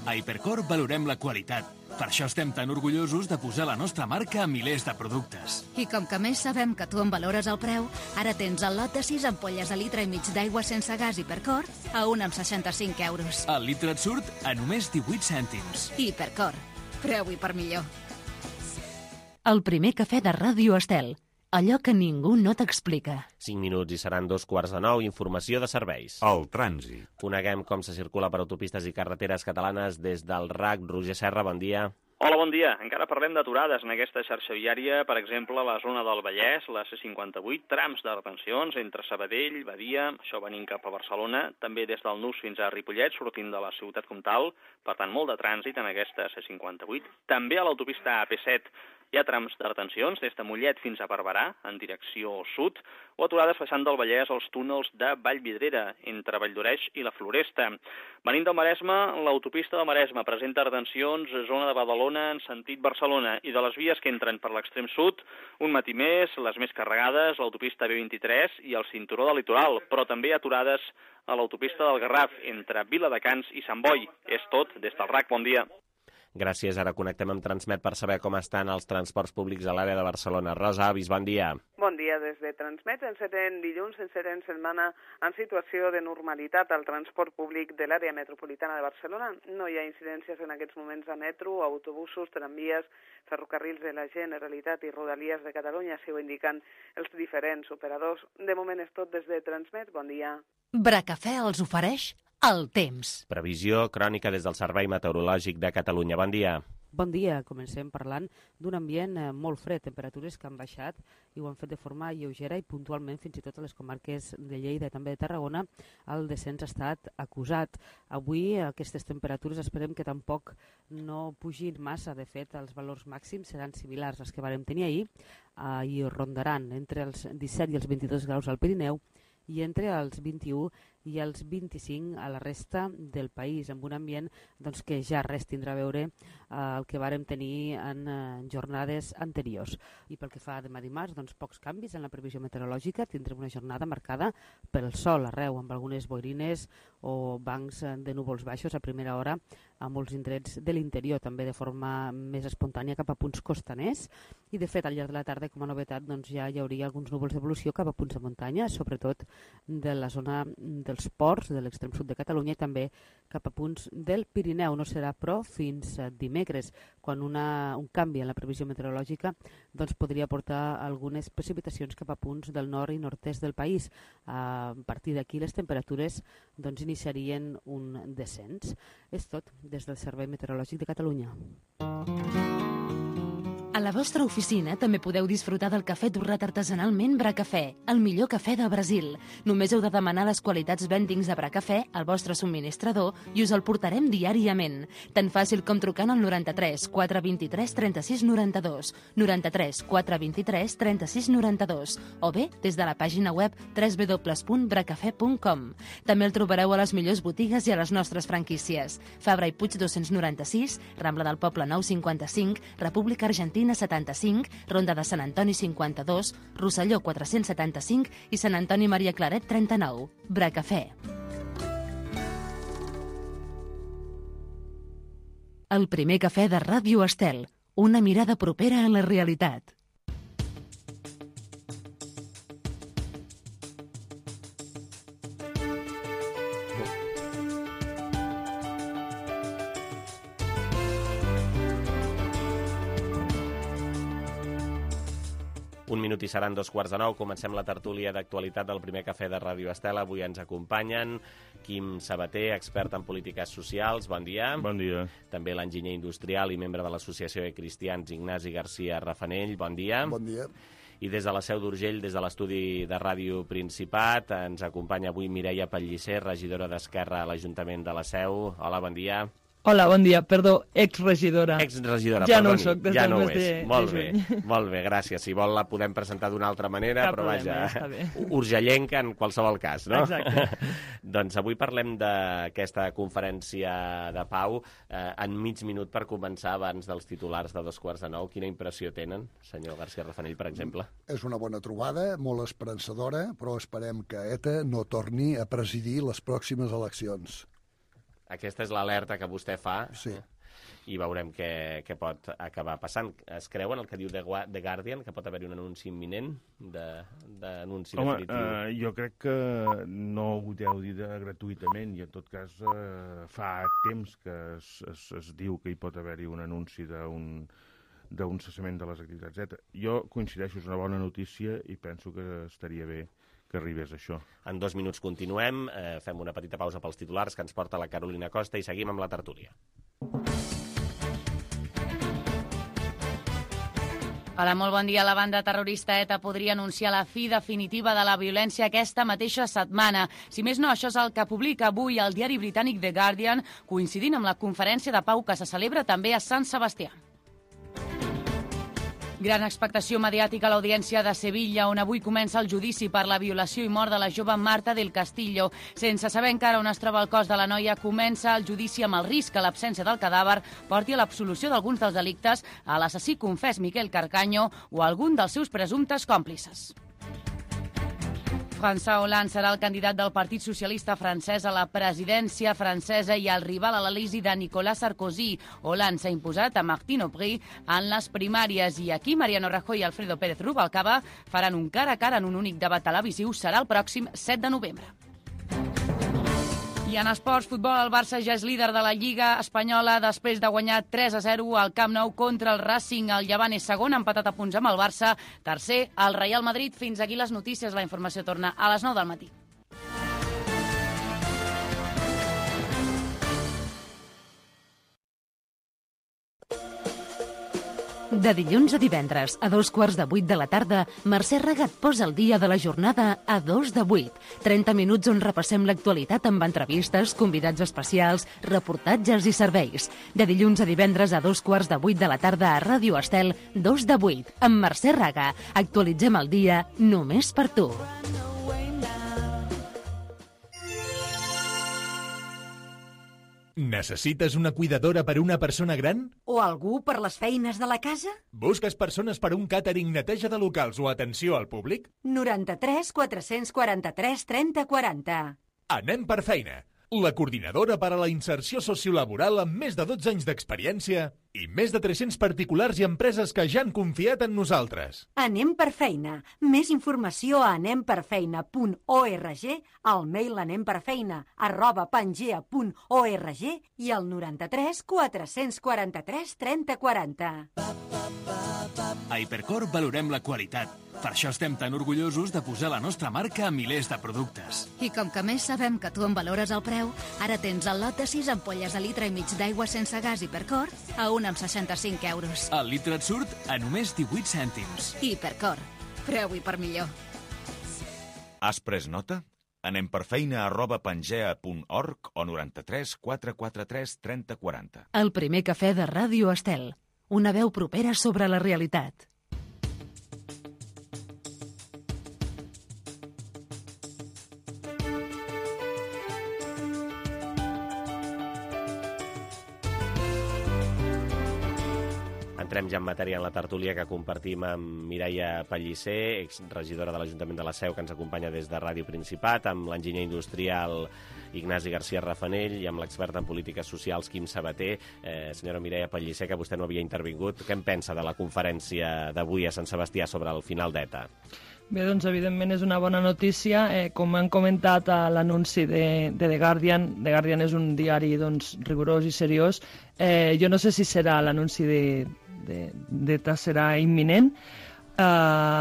Speaker 7: A Hipercor valorem la qualitat. Per això estem tan orgullosos de posar la nostra marca a milers de productes.
Speaker 8: I com que més sabem que tu en valores el preu, ara tens el lot de 6 ampolles de litre i mig d'aigua sense gas Hipercor a 1,65 euros.
Speaker 7: El litre et surt a només 18 cèntims.
Speaker 8: Hipercor. Preu i per millor.
Speaker 3: El primer cafè de Ràdio Estel. Allò que ningú no t'explica.
Speaker 2: 5 minuts i seran 2:45. Informació de serveis.
Speaker 9: El trànsit.
Speaker 2: Coneguem com se circula per autopistes i carreteres catalanes des del RAC. Roger Serra, bon dia.
Speaker 10: Hola, bon dia. Encara parlem d'aturades en aquesta xarxa viària, per exemple, a la zona del Vallès, la C58, trams de retencions entre Sabadell, Badia, això venint cap a Barcelona, també des del Nus fins a Ripollet, sortint de la ciutat comtal, per tant, molt de trànsit en aquesta C58. També a l'autopista AP7 hi ha trams de retencions des de Mollet fins a Barberà, en direcció sud, o aturades passant del Vallès als túnels de Vallvidrera, entre Valldoreix i la Floresta. Venint del Maresme, l'autopista del Maresme presenta retencions a zona de Badalona en sentit Barcelona i de les vies que entren per l'extrem sud, un matí més, les més carregades, l'autopista B23 i el cinturó del litoral, però també aturades a l'autopista del Garraf, entre Viladecans i Sant Boi. És tot des del RAC. Bon dia.
Speaker 2: Gràcies. Ara connectem amb Transmet per saber com estan els transports públics a l'àrea de Barcelona. Rosa Avis, bon dia.
Speaker 11: Bon dia. Des de Transmet encetem dilluns, encetem setmana en situació de normalitat al transport públic de l'àrea metropolitana de Barcelona. No hi ha incidències en aquests moments a metro, autobusos, tramvies, ferrocarrils de la Generalitat i Rodalies de Catalunya, així ho indiquen els diferents operadors. De moment és tot des de Transmet. Bon dia.
Speaker 3: Bracafè els ofereix el temps.
Speaker 2: Previsió crònica des del Servei Meteorològic de Catalunya. Bon dia.
Speaker 12: Bon dia. Comencem parlant d'un ambient molt fred, temperatures que han baixat i ho han fet de forma lleugera i puntualment fins i tot a les comarques de Lleida i també de Tarragona el descens ha estat acusat. Avui aquestes temperatures esperem que tampoc no pugin massa. De fet, els valors màxims seran similars als que vàrem tenir ahir i rondaran entre els 17 i els 22 graus al Pirineu i entre els 21 i els 25 a la resta del país, amb un ambient doncs, que ja res tindrà a veure el que vàrem tenir en jornades anteriors. I pel que fa a demà dimarts, doncs, pocs canvis en la previsió meteorològica. Tindrem una jornada marcada pel sol arreu, amb algunes boirines o bancs de núvols baixos a primera hora a molts indrets de l'interior, també de forma més espontània cap a punts costaners. I, de fet, al llarg de la tarda, com a novetat, doncs, ja hi hauria alguns núvols d'evolució cap a punts de muntanya, sobretot de la zona dels ports de l'extrem sud de Catalunya i també cap a punts del Pirineu. No serà, però, fins dimecres, quan un canvi en la previsió meteorològica doncs, podria portar algunes precipitacions cap a punts del nord i nord-est del país. A partir d'aquí les temperatures doncs, iniciarien un descens. És tot des del Servei Meteorològic de Catalunya.
Speaker 3: A la vostra oficina també podeu disfrutar del cafè torrat artesanalment Bracafè, el millor cafè de Brasil. Només heu de demanar les qualitats vendings de Bracafè al vostre subministrador i us el portarem diàriament. Tan fàcil com trucant al 93 423 36 92, 93 423 36 92, o bé des de la pàgina web www.bracafè.com. També el trobareu a les millors botigues i a les nostres franquícies. Fabra i Puig 296, Rambla del Poble 955, República Argentina 75, Ronda de Sant Antoni 52, Rosselló 475 i Sant Antoni Maria Claret 39. Bracafè. El primer cafè de Ràdio Estel. Una mirada propera a la realitat.
Speaker 2: Un minut i seran 2:15. Comencem la tertúlia d'actualitat del primer cafè de Ràdio Estel. Avui ens acompanyen Quim Sabater, expert en polítiques socials. Bon dia.
Speaker 13: Bon dia.
Speaker 2: També l'enginyer industrial i membre de l'Associació de Cristians Ignasi Garcia Rafanell. Bon dia.
Speaker 14: Bon dia.
Speaker 2: I des de la Seu d'Urgell, des de l'estudi de Ràdio Principat, ens acompanya avui Mireia Pellicer, regidora d'Esquerra a l'Ajuntament de la Seu. Hola, bon dia.
Speaker 15: Hola, bon dia. Perdó, exregidora.
Speaker 2: Exregidora,
Speaker 15: ja
Speaker 2: perdoni.
Speaker 15: No ho soc, des
Speaker 2: ja
Speaker 15: del
Speaker 2: no
Speaker 15: mes
Speaker 2: ho és.
Speaker 15: de
Speaker 2: Molt bé,
Speaker 15: juny.
Speaker 2: molt bé, gràcies. Si vol la podem presentar d'una altra manera,
Speaker 15: Cap
Speaker 2: però
Speaker 15: problema,
Speaker 2: vaja,
Speaker 15: està bé.
Speaker 2: urgellenca en qualsevol cas, no?
Speaker 15: Exacte.
Speaker 2: Doncs avui parlem d'aquesta conferència de pau. En mig minut per començar, abans dels titulars de 8:45, quina impressió tenen, senyor García Rafanell, per exemple?
Speaker 14: És una bona trobada, molt esperançadora, però esperem que ETA no torni a presidir les pròximes eleccions.
Speaker 2: Aquesta és l'alerta que vostè fa.
Speaker 14: Sí.
Speaker 2: I veurem què pot acabar passant. Es creu en el que diu The Guardian, que pot haver-hi un anunci imminent d'anunci definitiu?
Speaker 9: Home, jo crec que no ho deu dir gratuïtament i en tot cas fa temps que es diu que hi pot haver-hi un anunci d'un cessament de les activitats, etc. Jo coincideixo, és una bona notícia i penso que estaria bé que arribés això.
Speaker 2: En 2 minuts continuem, fem una petita pausa pels titulars que ens porta la Carolina Costa i seguim amb la tertúlia.
Speaker 4: Hola, molt bon dia. La banda terrorista ETA podria anunciar la fi definitiva de la violència aquesta mateixa setmana. Si més no, això és el que publica avui el diari britànic The Guardian, coincidint amb la conferència de pau que se celebra també a Sant Sebastià. Gran expectació mediàtica a l'audiència de Sevilla, on avui comença el judici per la violació i mort de la jove Marta del Castillo. Sense saber encara on es troba el cos de la noia, comença el judici amb el risc que l'absència del cadàver porti a l'absolució d'alguns dels delictes a l'assassí confés Miquel Carcaño o a algun dels seus presumptes còmplices. François Hollande serà el candidat del Partit Socialista francès a la presidència francesa i el rival a l'Elisi de Nicolas Sarkozy. Hollande s'ha imposat a Martine Aubry en les primàries i aquí Mariano Rajoy i Alfredo Pérez Rubalcaba faran un cara a cara en un únic debat televisiu. Serà el pròxim 7 de novembre. I en esports, futbol, el Barça ja és líder de la Lliga Espanyola després de guanyar 3-0 al Camp Nou contra el Racing. El Llevant és segon, empatat a punts amb el Barça. Tercer, el Real Madrid. Fins aquí les notícies. La informació torna a les 9 del matí.
Speaker 3: De dilluns a divendres, a 7:15 de la tarda, Mercè Ragat posa el dia de la jornada a 2:08. 30 minuts on repassem l'actualitat amb entrevistes, convidats especials, reportatges i serveis. De dilluns a divendres a 7:15 de la tarda a Ràdio Estel, 2:08. Amb Mercè Raga, actualitzem el dia només per tu.
Speaker 13: Necessites una cuidadora per a una persona gran?
Speaker 16: O algú per les feines de la casa?
Speaker 13: Busques persones per a un càtering, neteja de locals o atenció al públic?
Speaker 16: 93 443 30 40.
Speaker 13: Anem per feina. La coordinadora per a la inserció sociolaboral amb més de 12 anys d'experiència i més de 300 particulars i empreses que ja han confiat en nosaltres.
Speaker 16: Anem per feina. Més informació a anemperfeina.org, al mail anemperfeina@pangea.org i al 93 443 30 40.
Speaker 7: A Hipercor valorem la qualitat. Per això estem tan orgullosos de posar la nostra marca a milers de productes.
Speaker 8: I com que més sabem que tu en valores el preu, ara tens el lot de 6 ampolles de litre i mig d'aigua sense gas Hipercor a 1,65 €.
Speaker 7: El litre et surt a només 18 cèntims.
Speaker 8: Hipercor. Preu i per millor.
Speaker 17: Has pres nota? Anem per feina@pangea.org o 93 443 30 40.
Speaker 3: El primer cafè de Ràdio Estel. Una veu propera sobre la realitat.
Speaker 2: Entrem ja en matèria en la tertúlia que compartim amb Mireia Pellicer, exregidora de l'Ajuntament de la Seu, que ens acompanya des de Ràdio Principat, amb l'enginyer industrial Ignasi García Rafanell i amb l'expert en polítiques socials Quim Sabater. Senyora Mireia Pellicer, que vostè no havia intervingut, què en pensa de la conferència d'avui a Sant Sebastià sobre el final d'ETA?
Speaker 15: Bé, doncs evidentment és una bona notícia. Com han comentat a l'anunci de The Guardian, The Guardian és un diari doncs, rigorós i seriós. Jo no sé si serà l'anunci d'ETA serà imminent,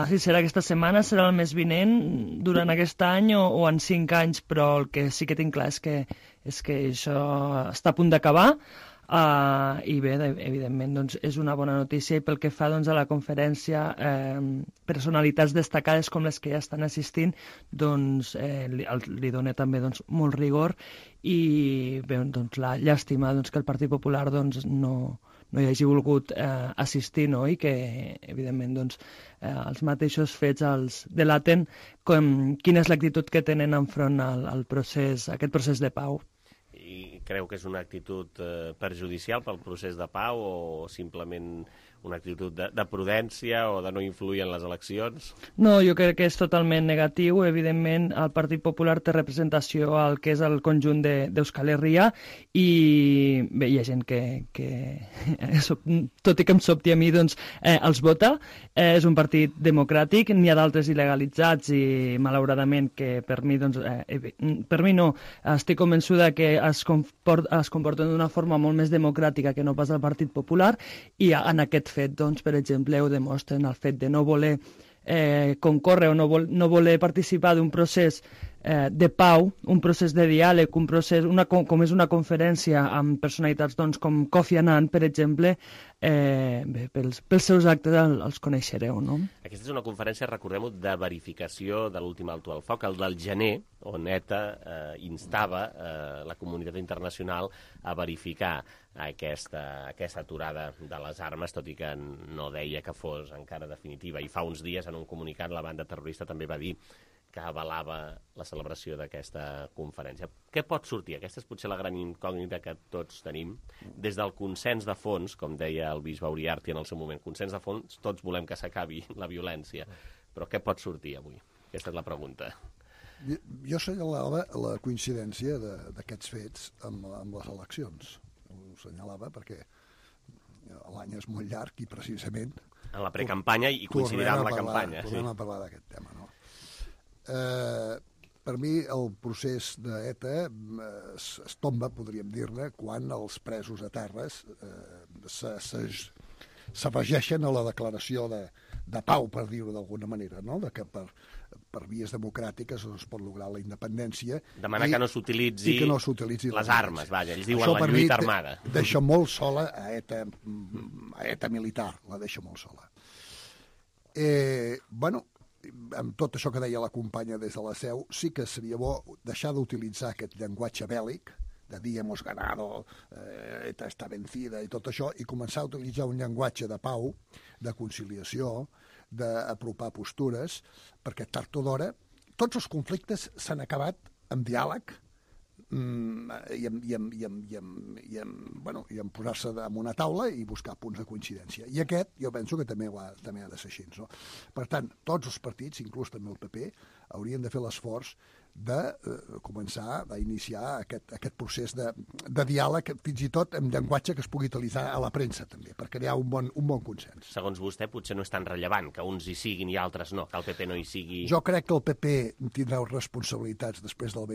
Speaker 15: si serà aquesta setmana, serà el mes vinent, durant aquest any o en 5 anys, però el que sí que tinc clar és que això està a punt d'acabar. I bé, evidentment, doncs, és una bona notícia i pel que fa doncs, a la conferència, personalitats destacades com les que ja estan assistint, doncs, li dona també doncs, molt rigor i bé, doncs, la llàstima doncs, que el Partit Popular doncs, no hi hagi volgut assistir, no? I que, evidentment, doncs, els mateixos fets els delaten quina és l'actitud que tenen enfront al procés, aquest procés de pau.
Speaker 2: I creu que és una actitud perjudicial pel procés de pau o simplement una actitud de prudència o de no influir en les eleccions?
Speaker 15: No, jo crec que és totalment negatiu. Evidentment, el Partit Popular té representació al que és el conjunt d'Euskal Herria i bé, hi ha gent que tot i que em sobti a mi, doncs, els vota. És un partit democràtic, n'hi ha d'altres il·legalitzats i, malauradament, que per mi, doncs, per mi no, estic convençuda que es comporten d'una forma molt més democràtica que no pas el Partit Popular, i en aquest fet, doncs, per exemple, ho demostren el fet de no voler concórrer o no voler participar d'un procés de pau, un procés de diàleg, un procés, com és una conferència amb personalitats doncs, com Kofi Annan, per exemple, bé, pels seus actes els coneixereu, no?
Speaker 2: Aquesta és una conferència, recordem-ho, de verificació de l'últim alto al foc, el del gener, on ETA instava la comunitat internacional a verificar aquesta aturada de les armes, tot i que no deia que fos encara definitiva. I fa uns dies, en un comunicat, la banda terrorista també va dir que avalava la celebració d'aquesta conferència. Què pot sortir? Aquesta és potser la gran incògnita que tots tenim. Des del consens de fons, com deia el bisbe Uriarty en el seu moment, consens de fons, tots volem que s'acabi la violència. Però què pot sortir avui? Aquesta és la pregunta.
Speaker 14: Jo assenyalava la coincidència d'aquests fets amb les eleccions. Ho assenyalava perquè l'any és molt llarg i precisament...
Speaker 2: En la precampanya i coincidirà amb la campanya.
Speaker 14: Tornem a parlar d'aquest tema, no? Per mi el procés d'ETA es tomba, podríem dir-ne, quan els presos a terres s'afegeixen a la declaració de pau, per dir-ho d'alguna manera, no? De que per vies democràtiques es pot lograr la independència.
Speaker 2: Demanar que no s'utilitzi les armes, vaja, ells diuen la lluita armada.
Speaker 14: Deixa molt sola a ETA militar, la deixa molt sola. Bueno, amb tot això que deia la companya des de la Seu, sí que seria bo deixar d'utilitzar aquest llenguatge bèl·lic, de dir hemos ganado, ETA està vencida i tot això, i començar a utilitzar un llenguatge de pau, de conciliació, d'apropar postures, perquè tard o d'hora tots els conflictes s'han acabat amb diàleg i en posar-se en una taula i buscar punts de coincidència. I aquest jo penso que també ha de ser així, no? Per tant, tots els partits, inclús també el PP, haurien de fer l'esforç de començar a iniciar aquest procés de diàleg, fins i tot amb llenguatge que es pugui utilitzar a la premsa també, per crear un bon consens.
Speaker 2: Segons vostè, potser no és tan rellevant que uns hi siguin i altres no, que el PP no hi sigui...
Speaker 14: Jo crec que el PP tindrà responsabilitats després del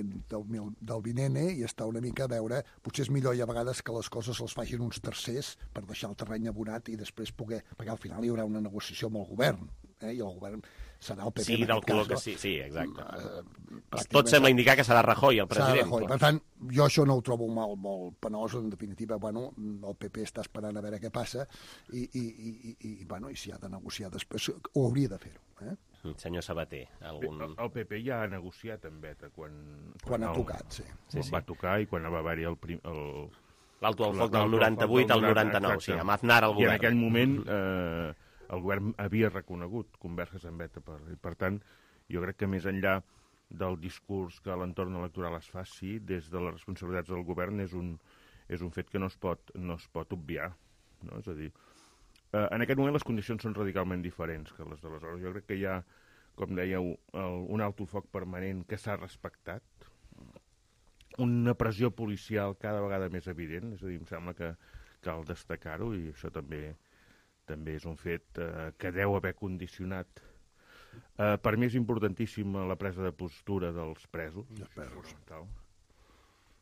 Speaker 14: vinent i està una mica a veure, potser és millor i a vegades que les coses les facin uns tercers per deixar el terreny abonat i després poder... Perquè al final hi haurà una negociació amb el govern, i el govern serà el PP.
Speaker 2: Sí, del color que sí, exacte. Tot sembla indicar que serà Rajoy, el president.
Speaker 14: Rajoy. Per tant, jo això no ho trobo molt penós, en definitiva, bueno, el PP està esperant a veure què passa i si ha de negociar després, ho hauria de fer-ho.
Speaker 2: Senyor Sabater, algun...
Speaker 9: El PP ja ha negociat amb ETA
Speaker 14: quan ha tocat, sí.
Speaker 9: Va tocar i quan va haver-hi
Speaker 2: l'alto al foc del 98 al 99, sí, amb Aznar al govern.
Speaker 9: I en aquell moment el govern havia reconegut converses amb ETA. Per tant, jo crec que més enllà del discurs que a l'entorn electoral es faci, des de les responsabilitats del govern és un fet que no es pot obviar. No? És a dir, en aquest moment les condicions són radicalment diferents que les d'aleshores. Jo crec que hi ha, com dèieu, un alto foc permanent que s'ha respectat, una pressió policial cada vegada més evident, és a dir, em sembla que cal destacar-ho, i això també és un fet que deu haver condicionat. Per mi és importantíssima la presa de postura dels presos.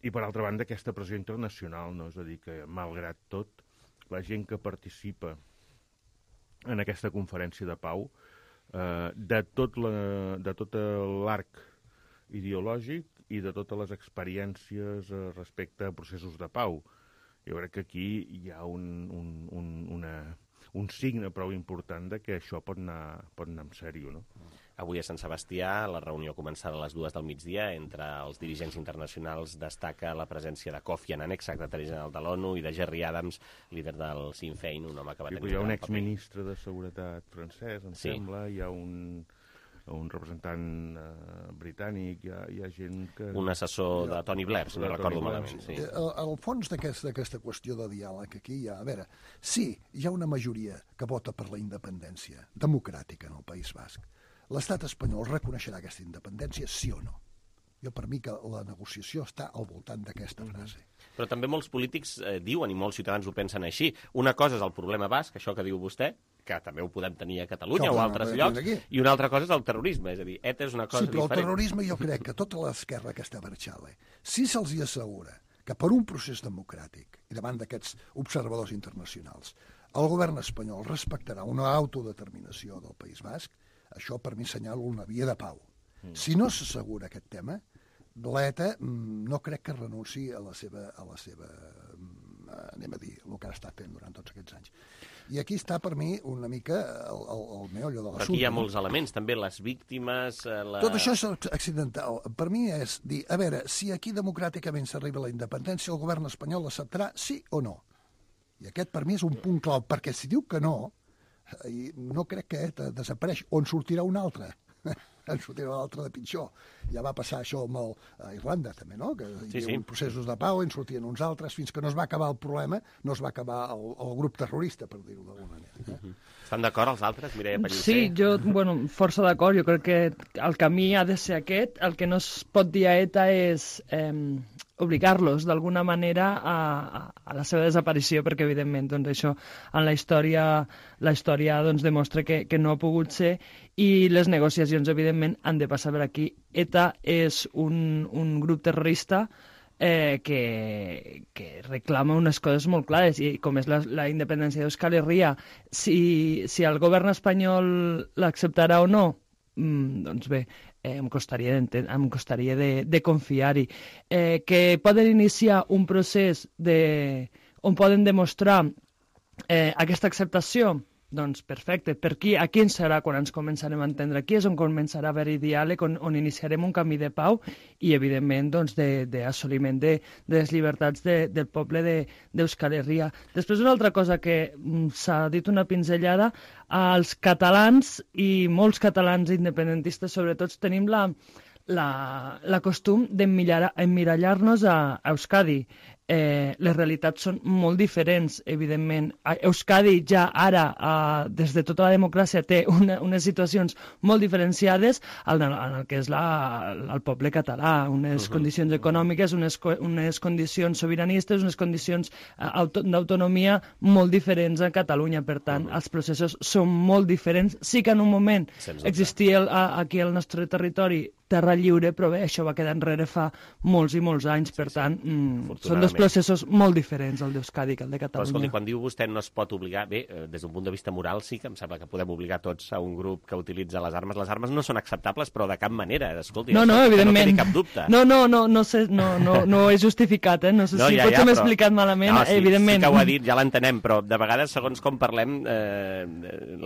Speaker 9: I per altra banda aquesta pressió internacional, no? És a dir, que malgrat tot, la gent que participa en aquesta conferència de pau, de tot l'arc ideològic i de totes les experiències respecte a processos de pau. Jo crec que aquí hi ha un signe prou important de que això pot anar en sèrio, no?
Speaker 2: Avui a Sant Sebastià, la reunió començada a les 2 del migdia entre els dirigents internacionals, destaca la presència de Kofi Annan, exsecretari general de l'ONU, i de Gerry Adams, líder del Sinn Féin, un home que va tenir...
Speaker 9: Hi ha un exministre de Seguretat francès, em sembla, hi ha un representant britànic, hi ha gent que...
Speaker 2: Un assessor de Tony Blair, si no recordo malament. Sí.
Speaker 14: Al fons d'aquesta qüestió de diàleg aquí hi ha... A veure, sí, hi ha una majoria que vota per la independència democràtica en el País Basc. L'estat espanyol reconeixerà aquesta independència, sí o no? Jo, per mi, que la negociació està al voltant d'aquesta frase.
Speaker 2: Però també molts polítics diuen, i molts ciutadans ho pensen així, una cosa és el problema basc, això que diu vostè, que també ho podem tenir a Catalunya o a altres llocs, i una altra cosa és el terrorisme, és a dir, ETA és una cosa diferent.
Speaker 14: Sí, però el terrorisme jo crec que tota l'esquerra que està marxant, si se'ls assegura que per un procés democràtic i davant d'aquests observadors internacionals el govern espanyol respectarà una autodeterminació del País Basc, això per mi assenyala una via de pau. Si no s'assegura aquest tema, l'ETA no crec que renunciï a la seva anem a dir, el que ha estat fent durant tots aquests anys. I aquí està, per mi, una mica el meollo de l'assumpte.
Speaker 2: Aquí hi ha molts elements, també les víctimes...
Speaker 14: Tot això és accidental. Per mi és dir, a veure, si aquí democràticament s'arriba a la independència, el govern espanyol l'acceptarà, sí o no? I aquest, per mi, és un punt clau, perquè si diu que no, no crec que desapareix, o en sortirà un altre. En sortirà un altre de pitjor. Ja va passar això a Irlanda, també, no? Que hi havia processos de pau, en sortien uns altres, fins que no es va acabar el problema, no es va acabar el grup terrorista, per dir-ho d'alguna manera.
Speaker 2: Estan d'acord els altres, Mireia Pellicer?
Speaker 15: Sí, jo, força d'acord. Jo crec que el camí ha de ser aquest. El que no es pot dir a ETA és obligar-los d'alguna manera a la seva desaparició, perquè evidentment doncs, això en la història doncs, demostra que no ha pogut ser, i les negociacions evidentment han de passar per aquí. ETA és un grup terrorista que reclama unes coses molt clares, i com és la independència d'Euskal Herria. Si el govern espanyol l'acceptarà o no, doncs bé, em costaria de confiar-hi. Que poden iniciar un procés on poden demostrar aquesta acceptació, doncs perfecte. Per aquí, a quin serà quan ens començarem a entendre? Aquí és on començarà a haver-hi diàleg, on iniciarem un camí de pau i, evidentment, doncs, d'assoliment de les llibertats del poble d'Euskal Herria. Després, una altra cosa que s'ha dit una pinzellada, els catalans i molts catalans independentistes, sobretot, tenim la costum d'emmirallar-nos a Euskadi. Les realitats són molt diferents, evidentment. Euskadi ja ara, des de tota la democràcia, té unes situacions molt diferenciades en el que és el poble català, unes condicions econòmiques, unes condicions sobiranistes, unes condicions d'autonomia molt diferents a Catalunya. Per tant, els processos són molt diferents. Sí que en un moment existia aquí al nostre territori terra lliure, però bé, això va quedar enrere fa molts i molts anys, per tant, són dos processos molt diferents, el d'Euskadi que el de Catalunya.
Speaker 2: Però escolti, quan diu vostè no es pot obligar, bé, des d'un punt de vista moral sí que em sembla que podem obligar tots a un grup que utilitza les armes. Les armes no són acceptables, però de cap manera, escolti,
Speaker 15: no, evidentment.
Speaker 2: No quedi cap dubte.
Speaker 15: No és justificat, no sé si potser m'he explicat malament, evidentment.
Speaker 2: Sí que ho ha dit, ja l'entenem, però de vegades, segons com parlem,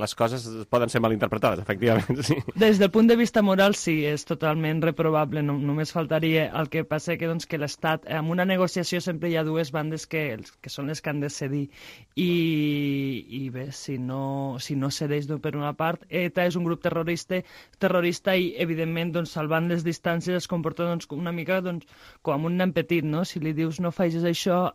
Speaker 2: les coses poden ser malinterpretades, efectivament, sí.
Speaker 15: Des del punt de vista moral, sí, és totalment reprobable, només faltaria. El que passa que l'Estat, en una negociació sempre hi ha dues bandes que són les que han de cedir, i bé, si no cedeix per una part, ETA és un grup terrorista i evidentment doncs, salvant les distàncies es comporta doncs, una mica doncs, com un nen petit, no? Si li dius no facis això,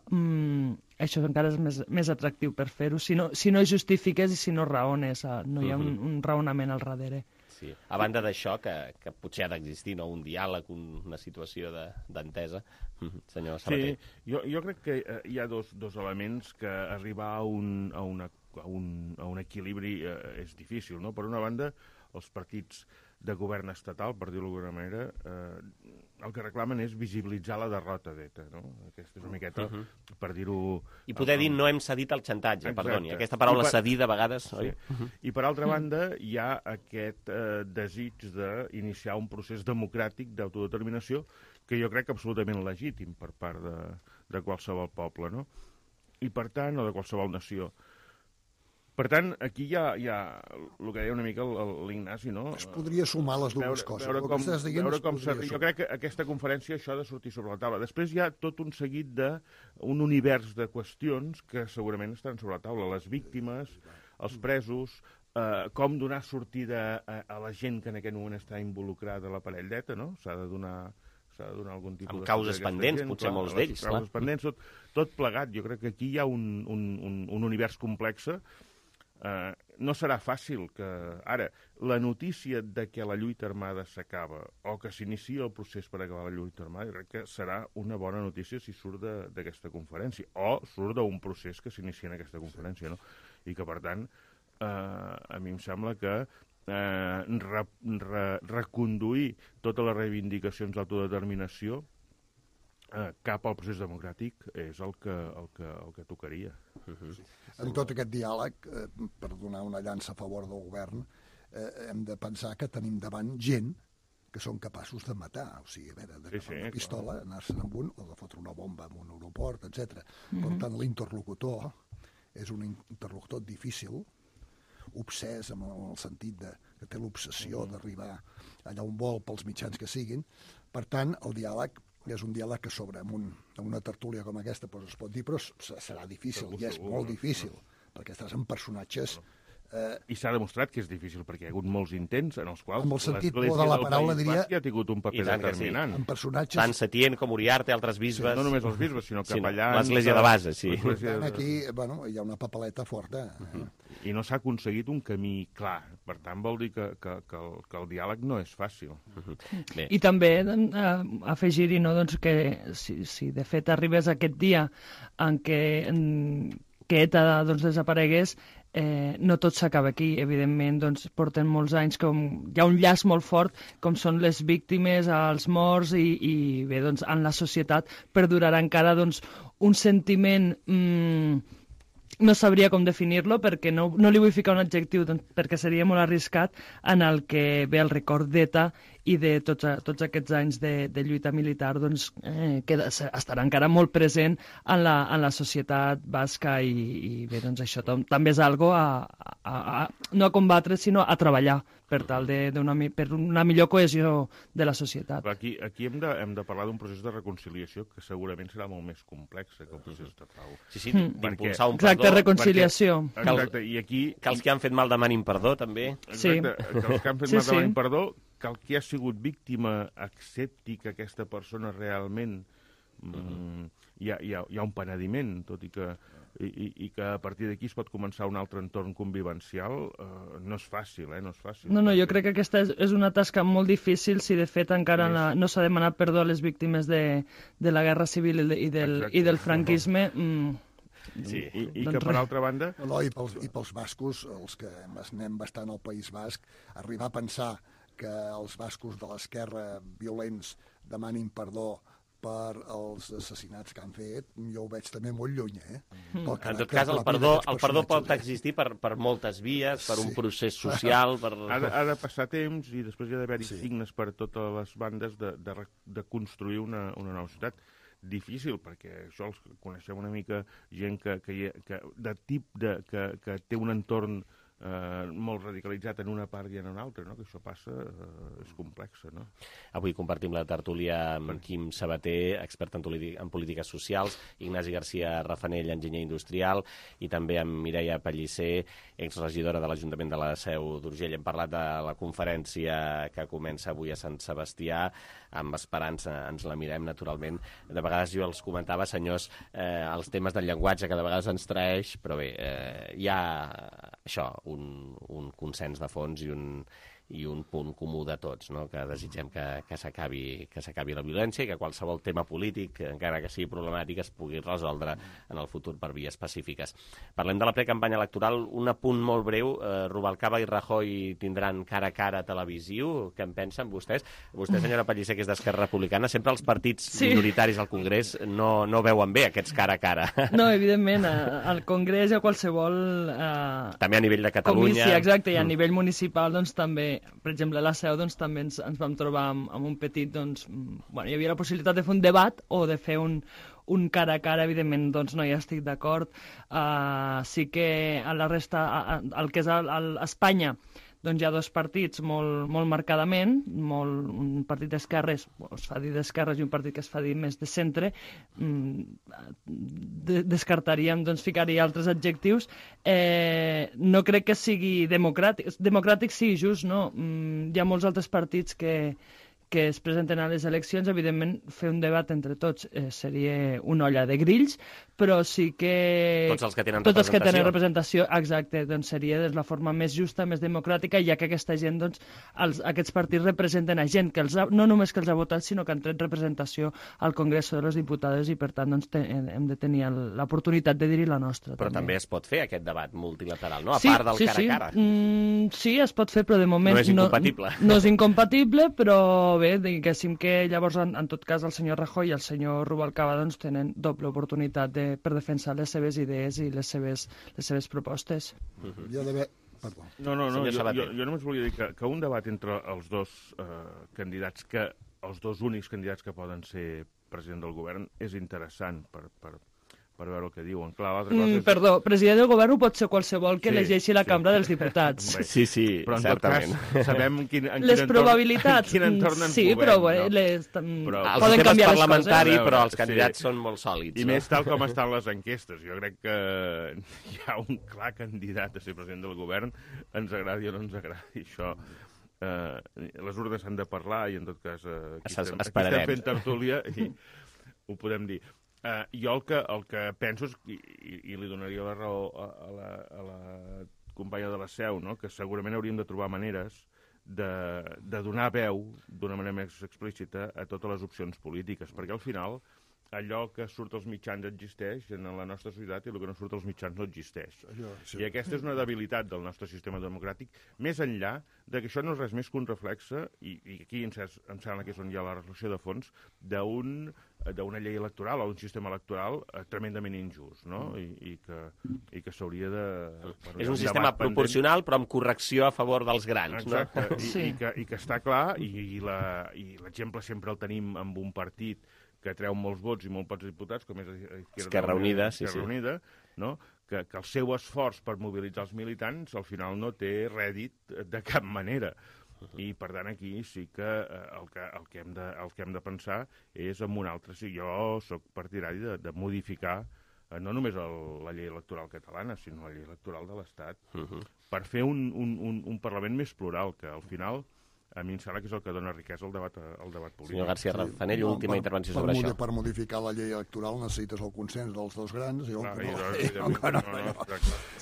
Speaker 15: això encara és més atractiu per fer-ho, si no justifiques i si no raones, no hi ha un raonament al darrere.
Speaker 2: Sí. A banda d'això, que potser ha d'existir un diàleg, una situació d'entesa, senyor Sabater.
Speaker 9: Sí, jo crec que hi ha dos elements que arribar a un equilibri és difícil, no? Per una banda, els partits de govern estatal, per dir-ho d'alguna manera, el que reclamen és visibilitzar la derrota d'ETA, no? Aquesta és una miqueta, per dir-ho...
Speaker 2: I poder dir no hem cedit al xantatge, perdoni. Aquesta paraula cedir de vegades, oi?
Speaker 9: I per altra banda, hi ha aquest desig d'iniciar un procés democràtic d'autodeterminació que jo crec absolutament legítim per part de qualsevol poble, no? I per tant, o de qualsevol nació. Per tant, aquí hi ha el que deia una mica l'Ignasi, no?
Speaker 14: Es podria sumar les dues coses.
Speaker 9: Jo crec que aquesta conferència això ha de sortir sobre la taula. Després hi ha tot un seguit d'un univers de qüestions que segurament estan sobre la taula. Les víctimes, els presos, com donar sortida a la gent que en aquest moment està involucrada a l'aparell d'ETA, no? S'ha de donar algun tipus
Speaker 2: amb causes pendents, potser molts d'ells.
Speaker 9: Causes pendents, tot plegat. Jo crec que aquí hi ha un univers complex. No serà fàcil que... Ara, la notícia de que la lluita armada s'acaba o que s'inicia el procés per acabar la lluita armada, crec que serà una bona notícia si surt d'aquesta conferència o surt d'un procés que s'inicia en aquesta conferència, no? I que, per tant, a mi em sembla que reconduir totes les reivindicacions d'autodeterminació cap al procés democràtic és el que tocaria.
Speaker 14: En tot aquest diàleg, per donar una llança a favor del govern, hem de pensar que tenim davant gent que són capaços de matar, o sigui, a veure, d'agafar una pistola, anar-se'n amb un, o de fotre una bomba en un aeroport, etc. Per tant, l'interlocutor és un interlocutor difícil, obsès, en el sentit que té l'obsessió d'arribar allà on vol pels mitjans que siguin. Per tant, el diàleg és un diàleg que s'obre en una tertúlia com aquesta, es pot dir, però serà difícil, i és molt difícil, perquè estàs en personatges...
Speaker 9: I s'ha demostrat que és difícil, perquè hi ha hagut molts intents en els quals
Speaker 14: amb el sentit de la paraula diria
Speaker 9: ha tingut un paper determinant.
Speaker 14: En personatges...
Speaker 2: Tant Setién com Uriarte, altres bisbes...
Speaker 9: No només els bisbes, sinó capellans...
Speaker 2: L'església de base, sí.
Speaker 14: Aquí, bueno, hi ha una papeleta forta.
Speaker 9: I no s'ha aconseguit un camí clar. Per tant, vol dir que el diàleg no és fàcil.
Speaker 15: I també afegir-hi, no, doncs, que si de fet arribés aquest dia en què ETA desaparegués, no tot s'acaba aquí, evidentment, doncs porten molts anys, hi ha un llaç molt fort, com són les víctimes, els morts, i bé, doncs en la societat perdurarà encara doncs un sentiment, no sabria com definir-lo, perquè no li vull ficar un adjectiu, doncs, perquè seria molt arriscat, en el que ve el record d'ETA i de tots aquests anys de lluita militar, doncs, que estarà encara molt present en la societat basca, i bé, doncs això també és algo no a combatre, sinó a treballar per tal per una millor cohesió de la societat.
Speaker 9: Aquí hem de parlar d'un procés de reconciliació que segurament serà molt més complex que el procés de pau.
Speaker 2: Sí, d'impulsar un perdó.
Speaker 15: Exacte, reconciliació.
Speaker 9: Exacte, i aquí...
Speaker 2: Que els que han fet mal demanin perdó, també.
Speaker 9: Exacte, que els que han fet mal demanin perdó, que el que ha sigut víctima accepti que aquesta persona realment hi ha un penediment, tot i que a partir d'aquí es pot començar un altre entorn convivencial, no és fàcil, no és fàcil.
Speaker 15: No, jo crec que aquesta és una tasca molt difícil si de fet encara no s'ha demanat perdó a les víctimes de la Guerra Civil i del franquisme.
Speaker 9: Sí, i que per altra banda...
Speaker 14: No, i pels bascos, els que anem bastant al País Basc, arribar a pensar que els bascos de l'esquerra violents demanin perdó per als assassinats que han fet, jo ho veig també molt lluny,
Speaker 2: En tot cas, el perdó pot existir per moltes vies, per un procés social...
Speaker 9: Ha de passar temps i després hi ha d'haver-hi signes per totes les bandes de construir una nova societat. Difícil, perquè això els coneixem una mica gent que té un entorn molt radicalitzat en una part i en una altra, no? Que això passa, és complex, no?
Speaker 2: Avui compartim la tertúlia amb Quim Sabater, expert en polítiques socials, Ignasi Garcia Rafanell, enginyer industrial, i també amb Mireia Pellicer, exregidora de l'Ajuntament de la Seu d'Urgell. Hem parlat de la conferència que comença avui a Sant Sebastià, amb esperança ens la mirem, naturalment. De vegades jo els comentava, senyors, els temes del llenguatge que de vegades ens traeix, però bé, hi ha això, un consens de fons i un punt comú de tots, no? Que desitgem que s'acabi la violència i que qualsevol tema polític, encara que sigui problemàtic, es pugui resoldre en el futur per vies pacífiques. Parlem de la precampanya electoral. Un apunt molt breu. Rubalcaba i Rajoy tindran cara a cara televisiu. Què en pensen vostès? Vostè, senyora Pellicer, que és d'Esquerra Republicana, sempre els partits minoritaris al Congrés no veuen bé aquests cara a cara.
Speaker 15: No, evidentment, al Congrés i a qualsevol...
Speaker 2: També a nivell de Catalunya.
Speaker 15: Comissió, exacte, i a nivell municipal, doncs, també. Per exemple, a la Seu doncs, també ens vam trobar amb un petit... Doncs, bueno, hi havia la possibilitat de fer un debat o de fer un cara a cara, evidentment, doncs no hi estic d'acord. Sí que a la resta, el que és a Espanya, doncs hi ha dos partits molt marcadament, un partit d'esquerres, es fa dir d'esquerres, i un partit que es fa dir més de centre. Descartaríem, doncs ficaria altres adjectius. No crec que sigui democràtic sí, just, no? Hi ha molts altres partits que es presenten a les eleccions. Evidentment, fer un debat entre tots seria una olla de grills, però sí que...
Speaker 2: Tots els que tenen
Speaker 15: representació. Exacte, doncs seria la forma més justa, més democràtica, ja que aquesta gent, doncs, aquests partits representen a gent que no només que els ha votat, sinó que han tret representació al Congreso de los Diputados, i per tant doncs, hem de tenir l'oportunitat de dir-hi la nostra.
Speaker 2: Però també es pot fer aquest debat multilateral, no? A part del cara a cara.
Speaker 15: Sí, es pot fer, però de moment...
Speaker 2: No és incompatible.
Speaker 15: No és incompatible, però bé, diguéssim que llavors, en tot cas, el senyor Rajoy i el senyor Rubalcaba doncs, tenen doble oportunitat per defensar les seves idees i les seves propostes.
Speaker 14: Hi ha d'haver... Perdó.
Speaker 9: No, jo només volia dir que un debat entre els dos candidats, els dos únics candidats que poden ser president del govern, és interessant per veure el que diuen. Clar, l'altra cosa és...
Speaker 15: Perdó, president del govern ho pot ser qualsevol que elegeixi la Cambra dels Diputats.
Speaker 2: Sí,
Speaker 9: però en
Speaker 2: certament.
Speaker 9: Tot cas, sabem
Speaker 15: les probabilitats.
Speaker 9: Quin entorn ens
Speaker 15: sí,
Speaker 9: movem,
Speaker 15: però
Speaker 2: poden canviar les coses. Però els candidats són molt sòlids.
Speaker 9: I més tal com estan les enquestes. Jo crec que hi ha un clar candidat a ser president del govern, ens agradi o no ens agradi això. Les urnes han de parlar i, en tot cas, aquí estem fent tertúlia i ho podem dir. Jo el que penso és, i li donaria la raó a la companya de la Seu, no? Que segurament hauríem de trobar maneres de donar veu d'una manera més explícita a totes les opcions polítiques, perquè al final allò que surt als mitjans existeix en la nostra societat i el que no surt als mitjans no existeix. I aquesta és una debilitat del nostre sistema democràtic, més enllà de que això no és res més que un reflexe, i aquí em sembla que és on hi ha la reflexió de fons, d'una llei electoral o d'un sistema electoral tremendament injust, no? I que s'hauria de...
Speaker 2: És un sistema proporcional, però amb correcció a favor dels grans, no?
Speaker 9: Exacte, i que està clar, i l'exemple sempre el tenim amb un partit que treu molts vots i molts pocs diputats, com és
Speaker 2: Esquerra Unida,
Speaker 9: no? Que el seu esforç per mobilitzar els militants al final no té rèdit de cap manera. I, per tant, aquí sí que el que hem de pensar és en un altre. Jo soc partidari de modificar no només la llei electoral catalana, sinó la llei electoral de l'Estat, per fer un Parlament més plural, que al final... A mi em sembla que és el que dona riquesa al debat polític.
Speaker 2: Senyor García Razfanell, última intervenció sobre això.
Speaker 14: Per modificar la llei electoral necessites el consens dels dos grans.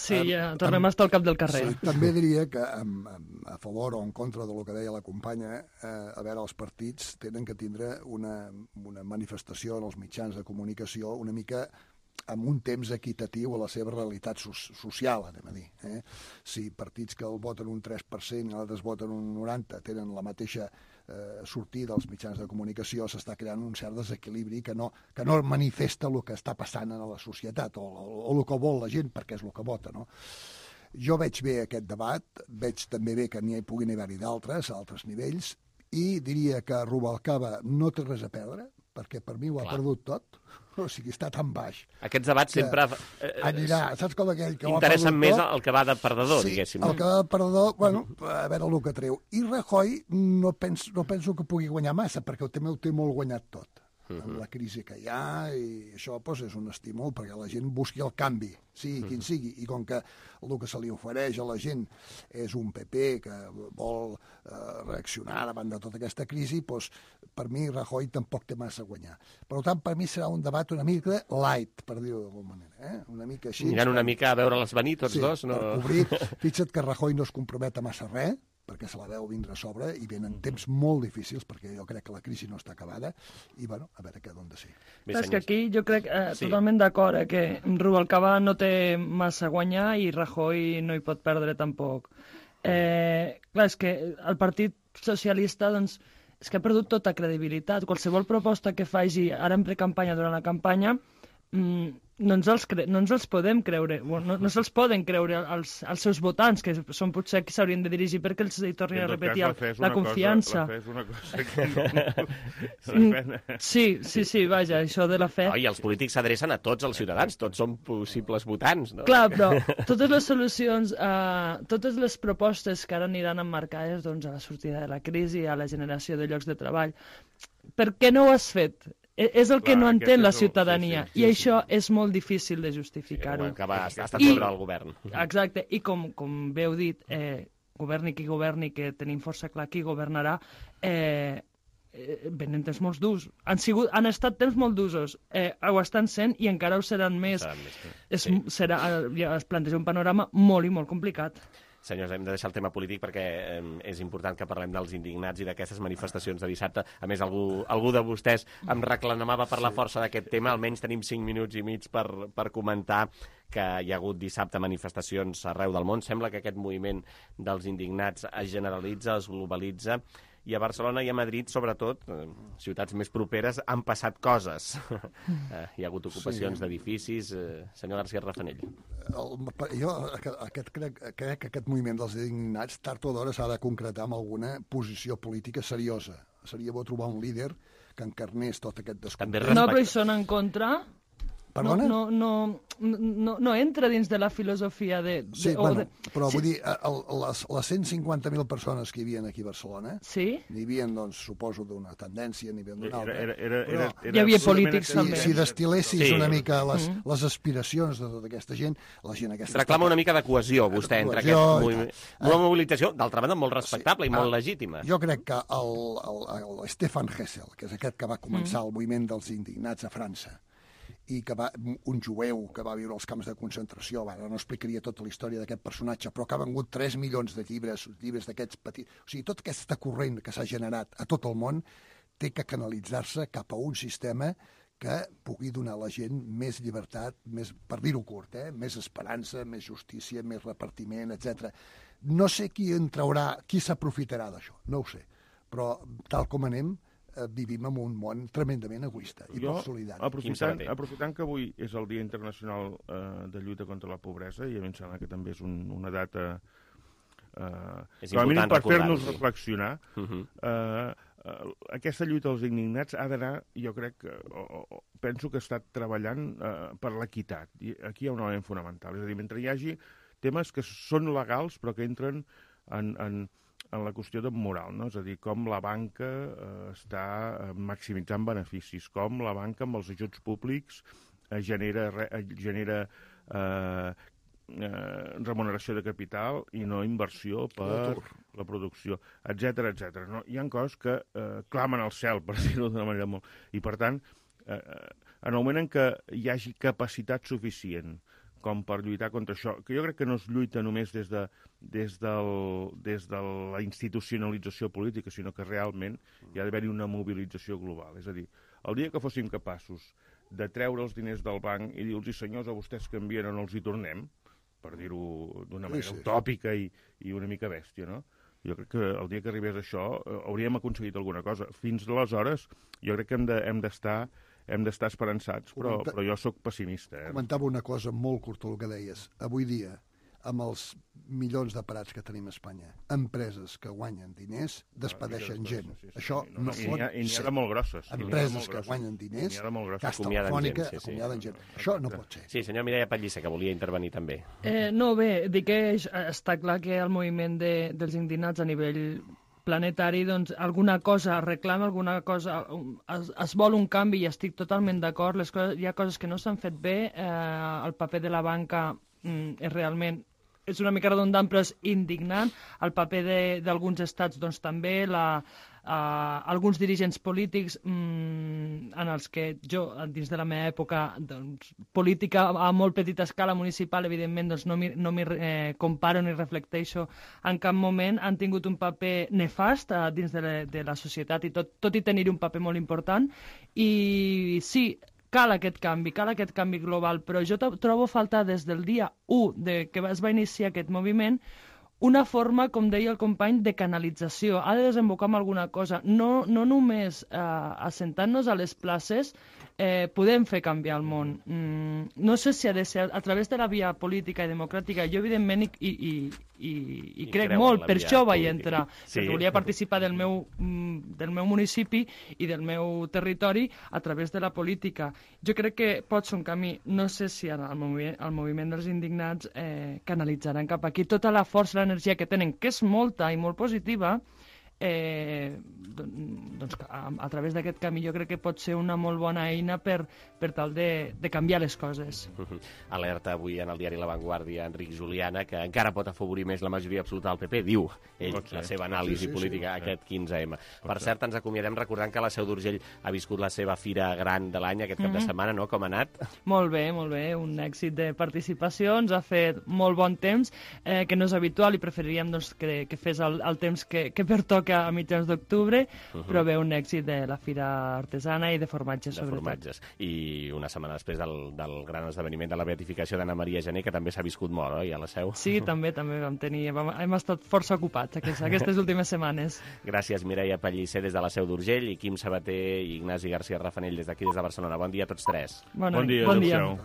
Speaker 15: Sí, ja tornem a estar al cap del carrer.
Speaker 14: També diria que a favor o en contra del que deia la companya, a veure, els partits tenen que tindre una manifestació en els mitjans de comunicació una mica amb un temps equitatiu a la seva realitat social, anem a dir. Si partits que el voten un 3% i altres voten un 90% tenen la mateixa sortida als mitjans de comunicació, s'està creant un cert desequilibri que no manifesta el que està passant a la societat o el que vol la gent, perquè és el que vota, no? Jo veig bé aquest debat, veig també bé que n'hi puguin haver-hi d'altres, a altres nivells, i diria que Rubalcaba no té res a perdre, perquè per mi ho ha perdut tot. O sigui, està tan baix.
Speaker 2: Aquests debats sempre
Speaker 14: anirà, saps com aquell que
Speaker 2: interessen més el que va de perdedor, diguéssim.
Speaker 14: El que va de perdedor, bueno, a veure el que treu. I Rajoy no penso que pugui guanyar massa, perquè també ho té molt guanyat tot. Amb la crisi que hi ha, i això és un estímul perquè la gent busqui el canvi, sigui quin sigui, i com que el que se li ofereix a la gent és un PP que vol reaccionar davant de tota aquesta crisi, doncs per mi Rajoy tampoc té massa a guanyar. Per tant, per mi serà un debat una mica light, per dir-ho d'alguna manera, una mica així.
Speaker 2: Mirant una mica a veure-les venir tots dos, no?
Speaker 14: Per cobrir. Fixa't que Rajoy no es compromet a massa res, perquè se la veu vindre a sobre i venen temps molt difícils, perquè jo crec que la crisi no està acabada, i bueno, a veure què d'on de ser.
Speaker 15: És que aquí jo crec totalment d'acord, que Rubalcaba no té massa a guanyar i Rajoy no hi pot perdre tampoc. Clar, és que el Partit Socialista, doncs, és que ha perdut tota credibilitat. Qualsevol proposta que faci ara en precampanya, durant la campanya, no ens els podem creure, no se'ls poden creure els seus votants, que són potser qui s'haurien de dirigir perquè els hi tornin a repetir la confiança.
Speaker 9: La fe és una cosa que...
Speaker 15: Sí, vaja, això de la fe...
Speaker 2: I els polítics s'adrecen a tots els ciutadans, tots són possibles votants, no?
Speaker 15: Clar, però totes les solucions, totes les propostes que ara aniran emmarcades a la sortida de la crisi, a la generació de llocs de treball, per què no ho has fet? És el que no entén la ciutadania, i això és molt difícil de justificar-ho.
Speaker 2: Que ha estat sobre el govern.
Speaker 15: Exacte, i com bé heu dit, governi qui governi, que tenim força clar qui governarà, venen temps molt durs. Han estat temps molt d'usos, ho estan sent i encara ho seran més. Es planteja un panorama molt i molt complicat.
Speaker 2: Senyors, hem de deixar el tema polític perquè és important que parlem dels indignats i d'aquestes manifestacions de dissabte. A més, algú de vostès em reclamava per la força d'aquest tema. Almenys tenim 5 minuts i mig per comentar que hi ha hagut dissabte manifestacions arreu del món. Sembla que aquest moviment dels indignats es generalitza, es globalitza, i a Barcelona i a Madrid, sobretot, ciutats més properes, han passat coses. Hi ha hagut ocupacions d'edificis. Senyor García Rafanell.
Speaker 14: Jo crec que aquest moviment dels indignats tard o d'hora s'ha de concretar amb alguna posició política seriosa. Seria bo trobar un líder que encarnés tot aquest descontent.
Speaker 15: No, però hi són en contra...
Speaker 14: Perdona?
Speaker 15: No entra dins de la filosofia de...
Speaker 14: Sí, però vull dir, les 150.000 persones que hi havia aquí a Barcelona, n'hi havia, doncs, suposo, d'una tendència, n'hi havia d'una altra.
Speaker 15: Hi havia polítics també.
Speaker 14: Si destil·lessis una mica les aspiracions de tota aquesta gent, la gent aquesta...
Speaker 2: Reclama una mica de cohesió, vostè, entre aquest moviment. Una mobilització, d'altra banda, molt respectable i molt legítima.
Speaker 14: Jo crec que el Stefan Hessel, que és aquest que va començar el moviment dels indignats a França, i un jueu que va viure als camps de concentració, ara no explicaria tota la història d'aquest personatge, però que ha vengut 3 milions de llibres d'aquests petits... O sigui, tot aquesta corrent que s'ha generat a tot el món té que canalitzar-se cap a un sistema que pugui donar a la gent més llibertat, més, per dir-ho curt, més esperança, més justícia, més repartiment, etc. No sé qui en traurà, qui s'aprofitarà d'això, no ho sé, però tal com anem, vivim en un món tremendament egoista i poc solidari.
Speaker 9: Aprofitant que avui és el Dia Internacional de Lluita contra la Pobresa, i a mi em sembla que també és una data com a mínim per fer-nos reflexionar, aquesta lluita dels indignats ha d'anar, jo crec, penso que està treballant per l'equitat. Aquí hi ha un element fonamental, és a dir, mentre hi hagi temes que són legals però que entren en la qüestió de moral, no? És a dir, com la banca està maximitzant beneficis, com la banca amb els ajuts públics genera remuneració de capital i no inversió per la producció, etc. No? Hi ha coses que clamen al cel, per dir-ho d'una manera molt... I, per tant, en el moment en què hi hagi capacitat suficient com per lluitar contra això, que jo crec que no es lluita només des de la institucionalització política, sinó que realment hi ha d'haver-hi una mobilització global. És a dir, el dia que fóssim capaços de treure els diners del banc i dir-los, senyors, a vostès que envien o no els hi tornem, per dir-ho d'una manera utòpica i una mica bèstia, no? Jo crec que el dia que arribés això hauríem aconseguit alguna cosa. Fins aleshores jo crec que hem d'estar esperançats, però jo sóc pessimista.
Speaker 14: Comentava una cosa molt curta, el que deies. Avui dia, amb els milions de parats que tenim a Espanya, empreses que guanyen diners despedeixen gent. Això no pot ser.
Speaker 9: I n'hi ha de molt grosses.
Speaker 14: Empreses que guanyen diners, Caixa Telefònica, acomiaden gent. Això no pot ser.
Speaker 2: Sí, senyor Mireia Pellicer, que volia intervenir també.
Speaker 15: No, bé, dic que està clar que el moviment dels indignats a nivell planetari, doncs, alguna cosa reclama, alguna cosa... Es vol un canvi i estic totalment d'acord. Hi ha coses que no s'han fet bé. El paper de la banca és realment... És una mica redundant, però és indignant. El paper d'alguns estats, doncs, també, alguns dirigents polítics en els que jo, dins de la meva època, doncs, política a molt petita escala municipal, evidentment, doncs, no m'hi comparo ni reflecteixo en cap moment, han tingut un paper nefast dins de la societat i tot i tenir un paper molt important. I sí, cal aquest canvi global, però jo trobo a faltar des del dia 1 que es va iniciar aquest moviment una forma, com deia el company, de canalització. Ha de desembocar en alguna cosa, no només assentant-nos a les places podem fer canviar el món. No sé si ha de ser a través de la via política i democràtica. Jo, evidentment, i crec molt, per això vaig entrar, perquè volia participar del meu municipi i del meu territori a través de la política. Jo crec que pot ser un camí. No sé si el moviment dels indignats canalitzaran cap aquí tota la força, l'energia que tenen, que és molta i molt positiva, doncs a través d'aquest camí jo crec que pot ser una molt bona eina per tal de canviar les coses.
Speaker 2: Alerta avui en el diari La Vanguardia Enric Juliana, que encara pot afavorir més la majoria absoluta del PP, diu ell, la seva anàlisi política aquest 15M. Per cert, ens acomiadem recordant que la Seu d'Urgell ha viscut la seva fira gran de l'any aquest cap de setmana, no? Com ha anat?
Speaker 15: Molt bé, un èxit de participació, ens ha fet molt bon temps, que no és habitual i preferiríem que fes el temps que pertoca a mitjans d'octubre, però bé, un èxit de la fira artesana i de formatges, sobretot.
Speaker 2: I una setmana després del gran esdeveniment de la beatificació d'Anna Maria Gené, que també s'ha viscut molt, oi, a la Seu?
Speaker 15: Sí, també hem estat força ocupats aquestes últimes setmanes.
Speaker 2: Gràcies, Mireia Pellicer, des de la Seu d'Urgell, i Quim Sabater i Ignasi García Rafanell, des d'aquí, des de Barcelona. Bon dia a tots tres.
Speaker 15: Bon dia.